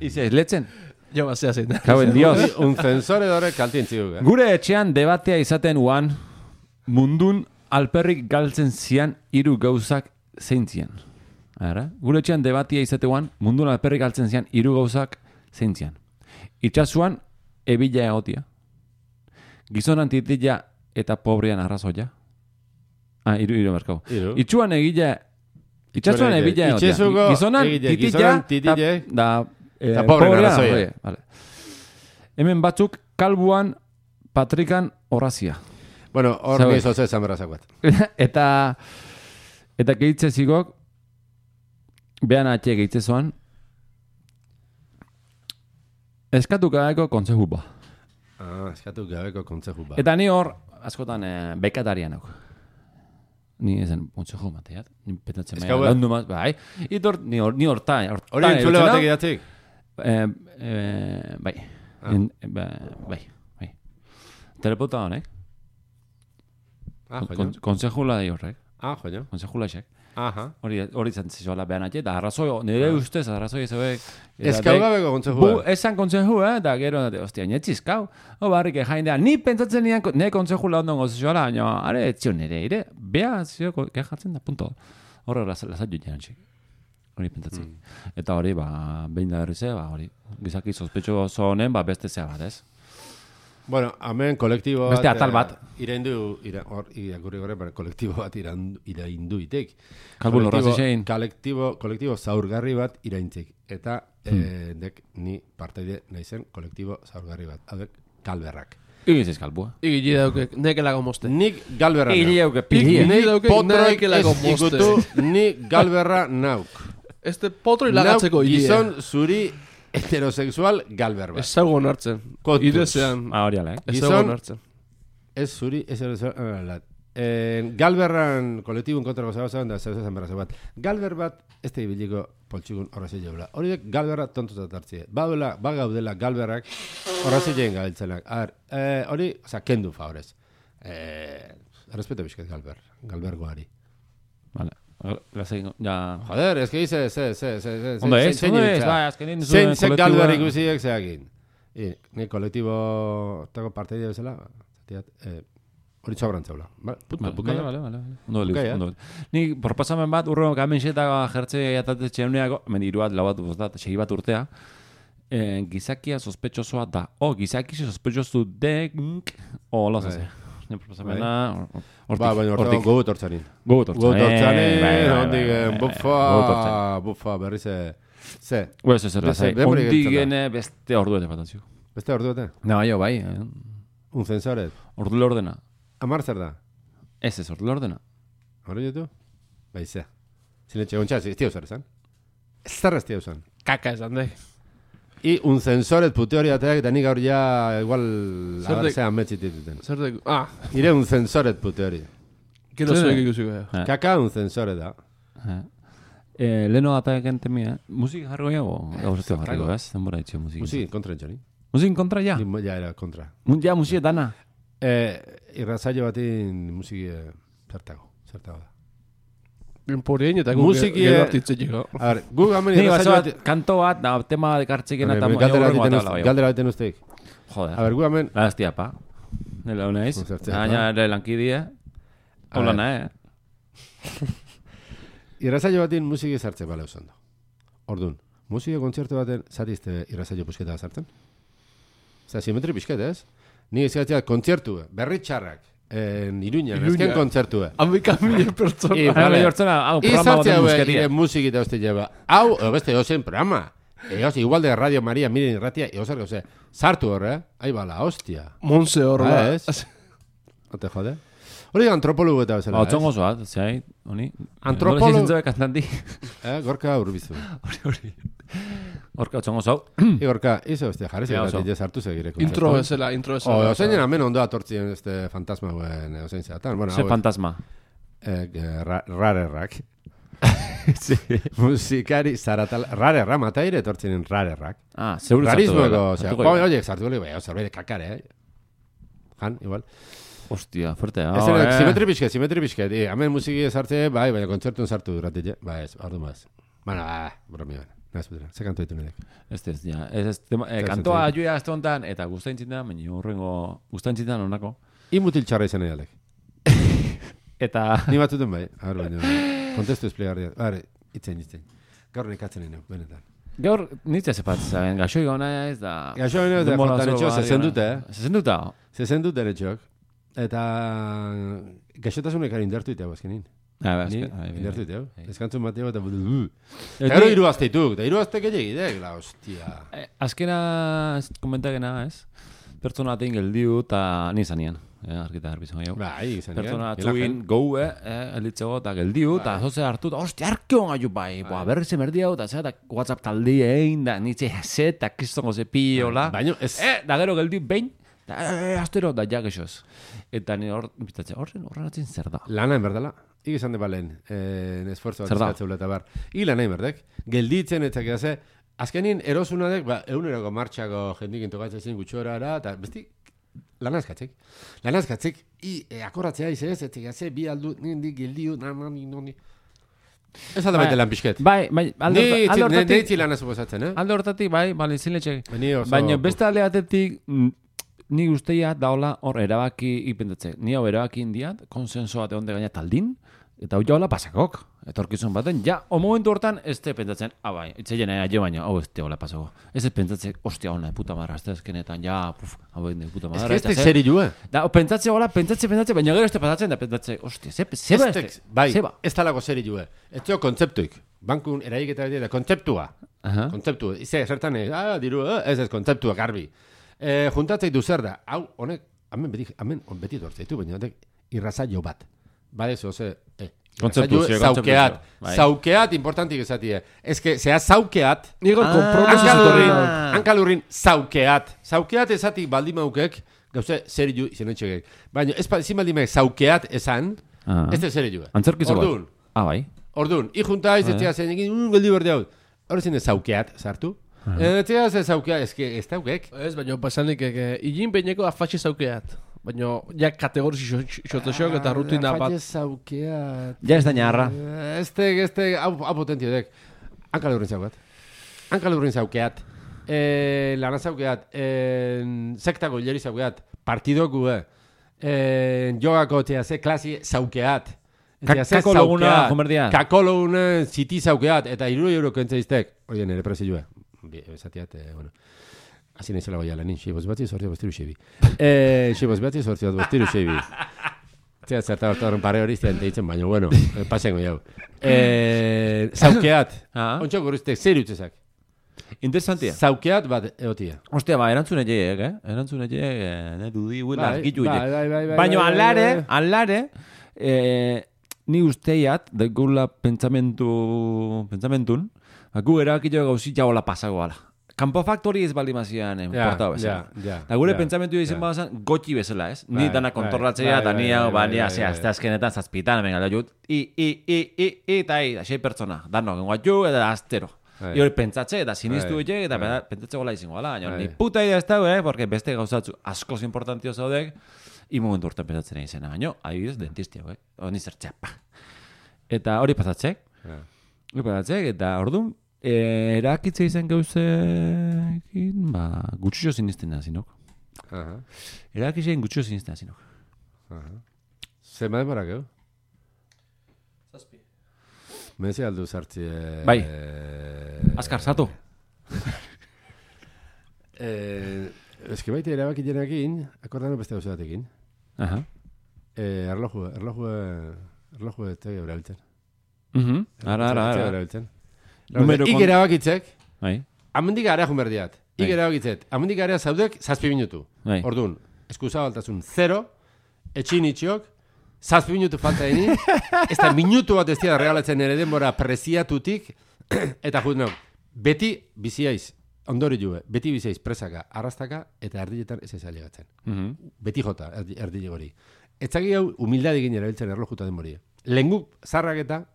Ize, letzen? Jo, bazea zein. Kauen dios. Un censor edore kaltien txiguk, Gure etxean debatea izaten uan, mundun alperrik galtzen zian hiru gauzak zeintzian. Gure etxean debatia izatean, mundun alperrik galtzen zian hiru gauzak zeintzian. Itxasuan, ebila egotia. Gizonan titila eta pobrean arrazoia. Hiru merkau. Itxuan egila... Itxasuan ebila egotia. Gizonan titila eta pobrean arrazoia. Hemen batzuk, kalbuan, patrikan, horazia. Bueno, hor nizo ze zanberrazakoat. Eta gehitze zigok, behan atxe gehitze zoan, eskatu gabeko kontzeju ba. Eskatu gabeko kontzeju ba. Eta ni hor, askotan, bekatarian hau. Ni ezen kontzeju mateat. Ni petatzen maia. Laundu maz, bai. Itor, ni horta. Hori entzule batek idatzik? Bai. Bai. Telepota honek. Konsejula di horrek. Joño. Konsejula esek. Hori zantzizoala behan atxe, da arrazoi, nire ustez arrazoi ezebek. Eskau gabeko kontsejua. Esan kontsejua, da gero, ostia, netzizkau. Barrik jaindean, ni pentsatzen nian, nire kontsejula ondon gozizoala, baina, are, etzion nire, ire, beha, zio, kejatzen da, punto. Horre, lasat joan txik. Hori pentsatzen. Eta hori, behin da berrize, hori, gizaki sospetxo oso honen, beste zea bat, ez? Bueno, hemen kolektibo bat... Beste atal bat. Iraindu, irakurri gore, kolektibo bat iraindu itek. Kalbun horraz izein. Kolektibo zaurgarri bat iraintzik. Eta dek ni parteide naizen kolektibo zaurgarri bat. Adek, Galberrak. Igiz kalbua. Igili dauke, neke lago moste. Nik Galberra Igili dauke, pili. Potroik ez ikutu, ni Galberra nauk. Este potroi lagatzeko igili. Gizon zuri heterosexual Galber bat. Ez zaugo nartzen. Idezean. Horiala, Ez zaugo nartzen. Ez zuri heterosexual. Galberran kolektibun kontrako zagozaban da zauzazan berra bat. Galber bat, ez da ibiliko poltsikun horrazei jaula. Horiek Galberra tontutat hartzie. Bagaudela Galberrak horrazei jain gabiltzenak. Hori, kendu favorez. Respeto bizket Galbergoari. Vale. Ya... Joder, es que dice, Ondo ez, azkenin zuen kolektiboa... Galber ikusiek zeakin. Ni kolektibo... Tako parteide bezala, hori txabrantzaula. Vale. Ondo. Ni proposamen bat, urro kamenxeta jertze jatate txeuneako, iru bat, lau bat, bostat, segi bat urtea, gizakia sospetxosoa da. Gizaki sospetxosu dek, hola zase. Proposamena... Baina gogut hortzanin. Ondigen, bufa, berri ze. Bueno, ze. Ondigen beste orduete fatazio. Beste orduete? Bai. Un censoret? Ordule ordena. Amar zer da? Ez, ordule ordena. Hori ditu? Bai, ze. Zinetxe gontxaz, ez tiu zer esan? Ez zer ez tiu esan? Kaka esan, dek. I un censoret pute hori ateak, da nik gaur ja igual agarzean metxitituten. Zer dek, Ire un censoret pute hori. Kero zuek ikusiko. Kaka un censoret da. Leno ateak entemia, musik jargo jago, gauzatio jargo, ez? Denbora itxio musik. Musik kontra entxoni. Musik kontra ja? Ja, era kontra. Ja, musik dana? Irrazaio batin musiki zertago da. Porien eta guk gero artitzen llega. A ver, guk hamen irrazaio bat... Kanto bat, da, tema de kartxikena eta... Galdera baten usteik. Joder. A ver, guk hamen... La estia, pa. Nela unaiz. Aina ere lankidie. Hola, nahe. Irrazaio batin musiki zartzen bale usando. Ordun, musiki kontzertu baten zatizte irrazaio pusketa zartzen? Oza, simetri pisket, ez? Ni izgatzea kontzertu, berri txarrak. Iruñan, ezken kontzertu. Amika mila pertsona. Izartzea ire musiki eta hoste lleva. Hau, beste ozen programa. Igual de Radio Maria, miren irratia, egozer gauze. Sartu horre, ahi bala, hostia. Monse horre. No te jode? Hori antropologo eta bezala, ez? Txongo zoat, zai, honi. Antropologo... Hori kantandi. Gorka urbizu. Hori. Gorka, txongo zau. Gorka, izo, hostia, jarri zegaratik sartu segire. Intro ezela. Ozein amen ondo atortzien este fantasma guen, ozein zeatan. Ze fantasma? Rarerrak. Musikari zaratal... Rarerra, mataire etortzien rarerrak. Seguro zartu gula. Rarismo, oie, zartu gula, zerbait de kakare, Jan, igual. Hostia, fuerte. Simetri pixket. Hemen musiki sartze, bai, baina kontzertuen sartu duratile. Ba ez, ordu maz. Baina, bromi baina. Ze kanto ditu nirek. Ez, ja. Kantoa ajuia azte honetan, eta guztain txintan, baina horrengo guztain txintan honako. Imutil txarra izan edalek. Eta... Ni batuten bai. Kontestu esplegarria. Itzen. Gaur nekatzen nire, benetan. Gaur, nitzea zepatzen, gaxoi gauna ez da... Gaxoi gauna ez da, jotan etxo, zezenduta. Zezenduta etxok. Eta gaxotasunek ari indartu iteago azkenin. Indartu iteago. Ezkantzun bateo eta... Gero iruazteituk, eta iruaztek egidek, la hostia. Azkena, komentakena, ez? Pertsona atein geldiu eta nizanian. Arkita garbizan gehiago. Bai, izanian. Pertsona atzuin, goue, elitzego eta geldiu, eta zoze hartu, hostia, arkeon gaiu bai. Berri ze merdi hau, eta zera, WhatsApp taldi egin, da nitze ze, eta kristongo ze piola. Baina, ez... Da gero geldiu, behin, astero, da jak esoz. Eta ni biztatze, horren atzin zer da. Lana enberdala. Ik izan de balen, esfuerzo bat izkatzeula eta bar. I lana enberdek. Gelditzen eta gehaze, azkenin erosunadek, euneroko martxako jendik intogatzen gutxorara, eta besti, lanazkatzik. Akorratzea izez, eta gehaze, bi aldu, nindik geldiu, nani. Ez alda baita lan pixket. Bai, alde hortatik. Neitzi lan azuposatzen, Alde hortatik, bai, zinletxek. Baina beste alde batetik, ni guztia daola hor erabaki ipentatze. Ni hau erabaki indiat, konsenso bat egon de gaina taldin, Eta hau jaula pasakok. Etorkizun baten, o momentu hortan, ez te pentsatzen, bai, itzeien aio baino, hau ez te hola pasako. Ez pentsatzen, ostia, hona, puta madra, ez ezkenetan, hau ez puta madra. Ez que ez zeri jue. Da, pentsatzen, baina gero ez te pasatzen, da pentsatzen, ostia, zeba ez te. Bai, ez talako zeri jue. Ez teo kontzeptuik. Bankun eraik eta beti da, kontzeptua. Kontzeptua. Ize, zertan diru, ez kontzeptua, garbi. Juntatzei du zer da, hau, honek, hemen beti dortzeitu, baina honek irrazaio bat. Bade, Zaukeat importantik esatie. Ez que, zea zaukeat. Nigo kompromiso hankalurrin zaukeat. Zaukeat esatik baldimaukek, gauze zeri ju, izan etxegek. Baina, ezin baldimauk zaukeat esan, ez da zeri ju. Antzerkizo bat. Ordun. Bai. Ordun, ijunta izetzea zen egin, geldi berde hau. Horrezin ez zaukeat, sartu. Etzea ez zaukeat, ez daukek. Ez, baina, pasanik, igin beineko afatxe zaukeat. Baina, ja kategoriz xotzosok eta rutina bat. Afatxe zaukeat. Ja ez da narra. Hau potentiodek. Hankalurrin zaukeat. Hankalurrin zaukeat. Lana zaukeat. Sektako hileri zaukeat. Partidoku, jogako ze klasi zaukeat. Kako loguna, jomerdia. Kako loguna ziti zaukeat. Eta 3 euro kentzeiztek. Oie, nire prezioa. Esatiat, bueno. Así naizela goia lanin, xiboz batzi sortio bostiru xebi. Xiboz batzi sortio bostiru xebi. Zea zerta horren pare hori iztean teitzen, baina, bueno, pasengo jau. Zaukeat. Ontsa gurriztek, zer utzezak? Interesantia. Zaukeat bat eotia. Ostia, erantzune jeiek, Erantzune jeiek, dudi huila argitu jeiek. Baina, alare, ni usteiat, daigula pentsamentun, gu erakillo gauzi jaola pasagoala. Kampo faktori ez baldimazian portau bezala. Da gure pentsamentu izan badazan gotxi bezala, ez? Ni dana kontrolatzea, eta ni hau, ez da azkenetan zazpitan, hemen gala jut, eta 6 pertsona, danok, enguatxu, eta astero. I hori pentsatze, eta sinistu egek, eta pentsatze gola izango gala. Ni puta idea ez dago, porque beste gauzatzu askoz importantio zaudek, momentu urtean pentsatzen egin zena, baina, adibidez, dentistia, honi zertxapa. Eta hori pasatzek, eta orduan, erakitze izan gauzekin, gutxixo sinisten da zinok. Erakitze gutxixo sinisten da zinok. Zema denbora gau? Zazpi. Mezi aldu zartzi... Bai. Azkar, sartu. Ez que baite erabaki jenakin, akordano beste gauza batekin. Erloju ez tegi erabiltzen. Ara. Ik erabakitzek, Bai. amendik gara junberdiat. Ik erabakitzet, amendik gara zaudek 7 minutu. Orduan, eskusa baltasun 0, etxin itxiok, 7 minutu falta deni, ez da minutu bat ez dira regalatzen ere denbora preziatutik, eta jut beti biziaiz, ondori jue, beti biziaiz presaka, arrastaka, eta erdiletan ez ezalegatzen. Beti jota, erdile gori. Etzaki hau, humildadik erabiltzen erlojuta denboria. Lenguk, zarrak eta,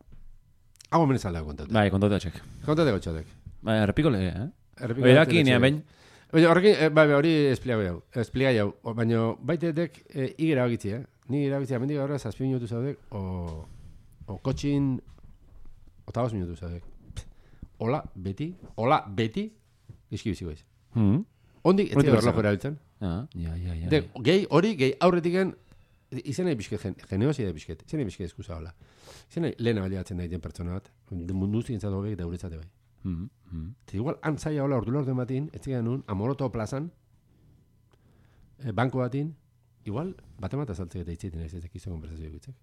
hau omenez aldago kontaute. Bai, kontaute atxek. Kontate gotxotek. Bai, errepiko lege, Eraki nea bain. Hori espliga jau. Baina baitetek igera bagitzi, Ni irabitzi, amendik gaur 7 minutu zaudek, o kotxin, o 5 minutu zaudek. Hola, beti, izki biziko ez. Ondik, ez dira erlojo erabiltzen. Gehi aurretiken, izan nahi bizket, geneosi da bizket, izan nahi bizket eskusa hola. Izan nahi lehena baliatzen daiten pertsona bat, mundu zintzatu hobek eta uretzate bai. Igual, antzaia hola ordula orden batin, ez zigan nun, Amoroto plazan, banko batin, igual, batemata saltzek eta itzeiten ez ezek izan konversazio egitzek.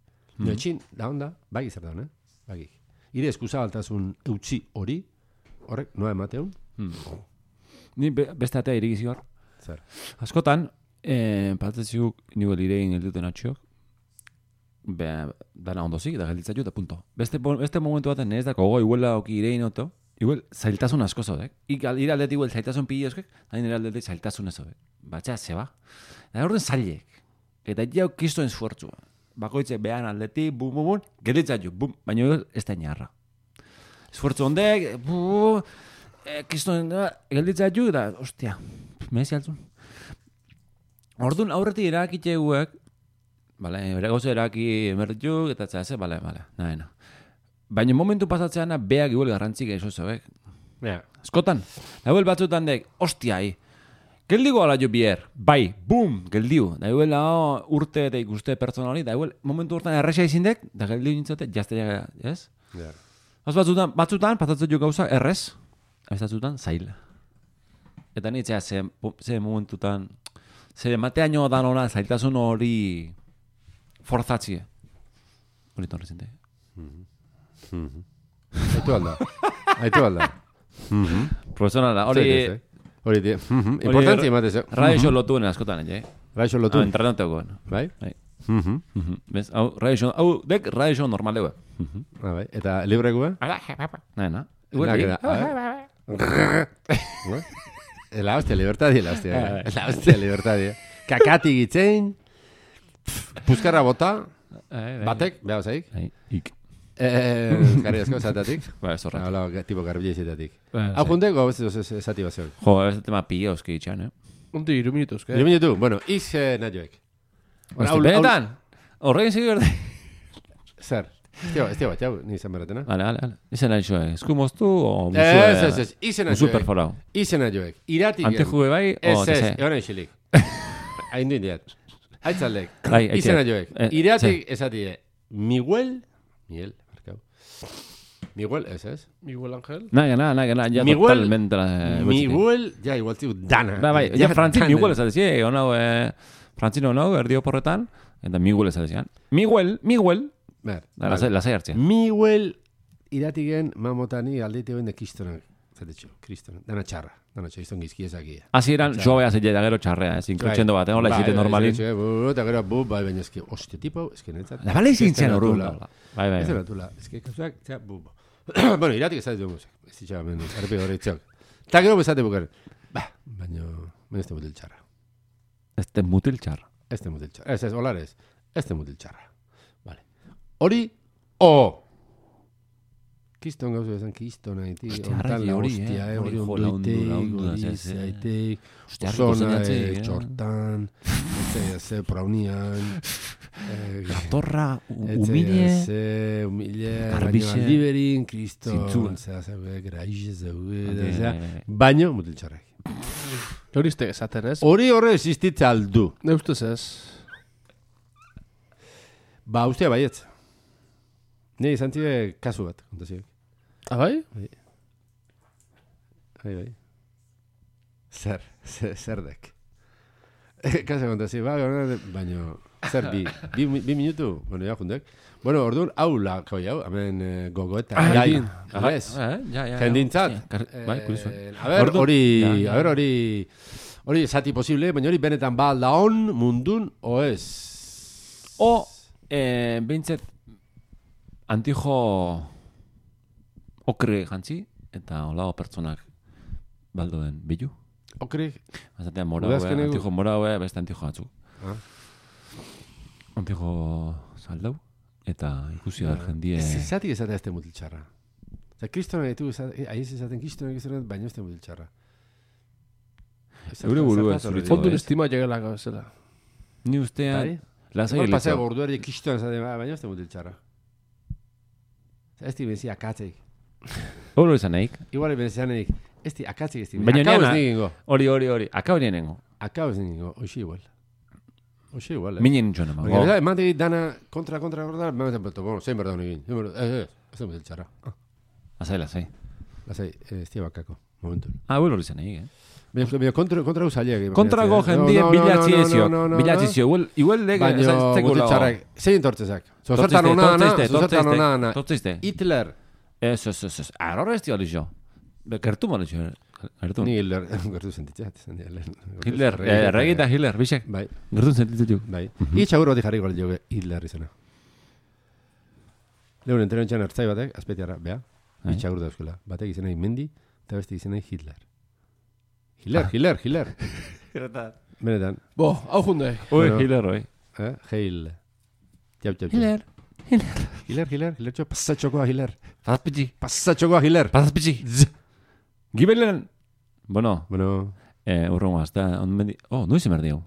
Etxin, da onda, bagi zer daun, bagi. Ire eskusa baltasun eutxi hori, horrek, noa emateun. Ni beste atea irigizi hor. Zer. Askotan, patatziuk nivel irein elduten atxiok, dana ondozik, da gelditza eta punto. Beste momentu baten ez dako, iguela oki irein oto, igual zailtasun asko zaudek. Ire aldetik igual zailtasun pili eskek, da nire aldetik zailtasun ez zaudek. Batxea, zeba. Da horren zailek. Eta jau kistoen esfuertzua. Bakoitze behan aldetik, bum, gelditza bum, baina ez da inarra. Esfuertzu ondek, kistoen gelditza da, ostia, mezi altzun. Orduan aurretik erakitxe guek, bere gauza eraki emertu, eta txase, nahi. Baina momentu pasatzeana beak igual garrantzik eso zebek. Eskotan, laguel batzutan dek, ostia, Geldigo ala jo bier. Bai, bum, geldiu. Da huela urte eta ikuste pertsona hori, da huel momentu hortan erresa izindek, da geldiu nintzote, jazte, ez? Ja. Batzutan, pasatzen jo gauza, errez, batzutan, zail. Eta nitzea, ze momentutan, ze mateaino dan hona, zailtasun hori forzatzie. Hori torri zinte. Aitu alda. Profesionala, hori... Hori, importantzia ematez. Radio lotuen askotan, Radio lotuen? Entrenategoen. Bai? Bez, dek radio normal egue. Bai, eta libre egue? Naina. La hostia, libertadi, la hostia, libertadi. Kakati gitzein, puskarra bota, batek, beha zaik. Ik. Gari asko, zatatik. Ba, ez horret. Hala, tipo garbile zatatik. Hau jundeko, zati bat zegoen. Jo, ez tema pila euski itxan, Unti, 3 minutos, que? 3 minutu, bueno, naioek. Benetan, horrein zigi berde. Zer? Ez tio bat, jau, ni izan berretena. Vale. Izen nahi zoe, esku moztu o Ez, izen naioek. musu perforau. Izen naioek. Iratik. Antijue bai, o ez, egon eixilik. Hain du indiat. Aitzaldek. Bai, Izen naioek. Iratik esatie, Miguel, markau. Miguel, ez? Miguel Ángel. Naga, ya totalmente. Miguel, ja, igual tiu, dana. Bai, ja Frantzin Miguel ez adezie, honau, Frantzin honau, erdio porretan, eta Miguel ez adezian. Miguel, lasai hartzia. Miguel, iratigen, mamotani, aldeite hoen de kistonak, zatetxo, kristonak, dana txarra, izton gizkiezakia. Hasieran joa zeile da gero txarrea, inkotxendo bat, hola izite normalin. Eta gero, baina eski, hostia, tipo, eski netzat. Da bale izintzian horun. Bai. Ez eratula, eski, kasuak, bueno, iratik ez dut musik. Ez ditxaga mendu, arpe horretxak. Ta gero bezate bukaren. Baina, ez te mutil txarra. Ez te mutil txarra. Ez, olares. Ez te mutil txarra. Vale. Hori, Kiston gauzu esan, kiston haiti. Hostia, hori onduitek, osona, txortan, praunian, gatorra, humile, garbixe, liberin, kriston, graixe zeuge, baino, mutil txarrak. Hori izte esaten, ez? Hori horre existitza aldu. Neustuz ez. Ba, ustea baietz. Ne, izan tire kasu bat, kontazioek. Bai? Bai. Zerdek. Kasu kontazio, baina, zer, bi minutu, bueno, ja, jundek. Bueno, orduan, hau lako jau, hemen gogoeta. Jai. Jendintzat. Bai, kurizu. Hori esati posible, baina hori benetan ba alda on mundun, o ez? Bintzet, antijo okre jantzi, eta olago pertsonak baldoen bilu. Okre? Azatean moraue, antijo moraue, beste antijo atzu. Antijo zaldau, eta ikusi da jendie... Zati ezatea ez te mutil txarra. Eta kristonak ditu, aiz ezaten kristonak baina ez te mutil txarra. Eure buru ez zuritzen. Fondun estima llegelako ezela. Ni ustean... Igual pasea gorduari kristonak ezaten, baina ez te mutil txarra. Ez di benzia akatzeik. Hori izan naik. Igual benzia naik. Ez di akatzeik ez di. Baina akau ez nigingo. Hori. Akau ez nigingo. Akau ez nigingo. Oixi igual. Minen txona mago. Porque emate dana kontra gorda, me meten peto. Bueno, zein berda honegin. Ez da mutil txarra. Lasai. Lasai, ez di bakako. Momentu. Hori izan naik, Baina kontra usaliak. Kontrago jendie bilatzi ezio. Igual lege... Baina mutil txarrak. Zein entortzezak. Zozertan onana. Tortziste. Hitler. Ez. Arrora ez di hori jo. Gertu mali jo. Ni Hitler. Gertu sentitzat. Hitler. Erregita Hitler. Bixek. Bai. Gertu sentitzat jo. Bai. Itxagur bat jarri gol jo Hitler izena. Lehun entero entxan hartzai batek, azpetiarra, bea. Itxagur da euskela. Batek izena Mendi, eta beste izena Hitler. Hitler. Benetan. Bo, hau junde. Hitler, oi. Heil. Jau. Hitler, pasatxokoa Hitler. Pasatxokoa Hitler. Gibelen. Bueno. Urrongo, hasta... noiz emerdio.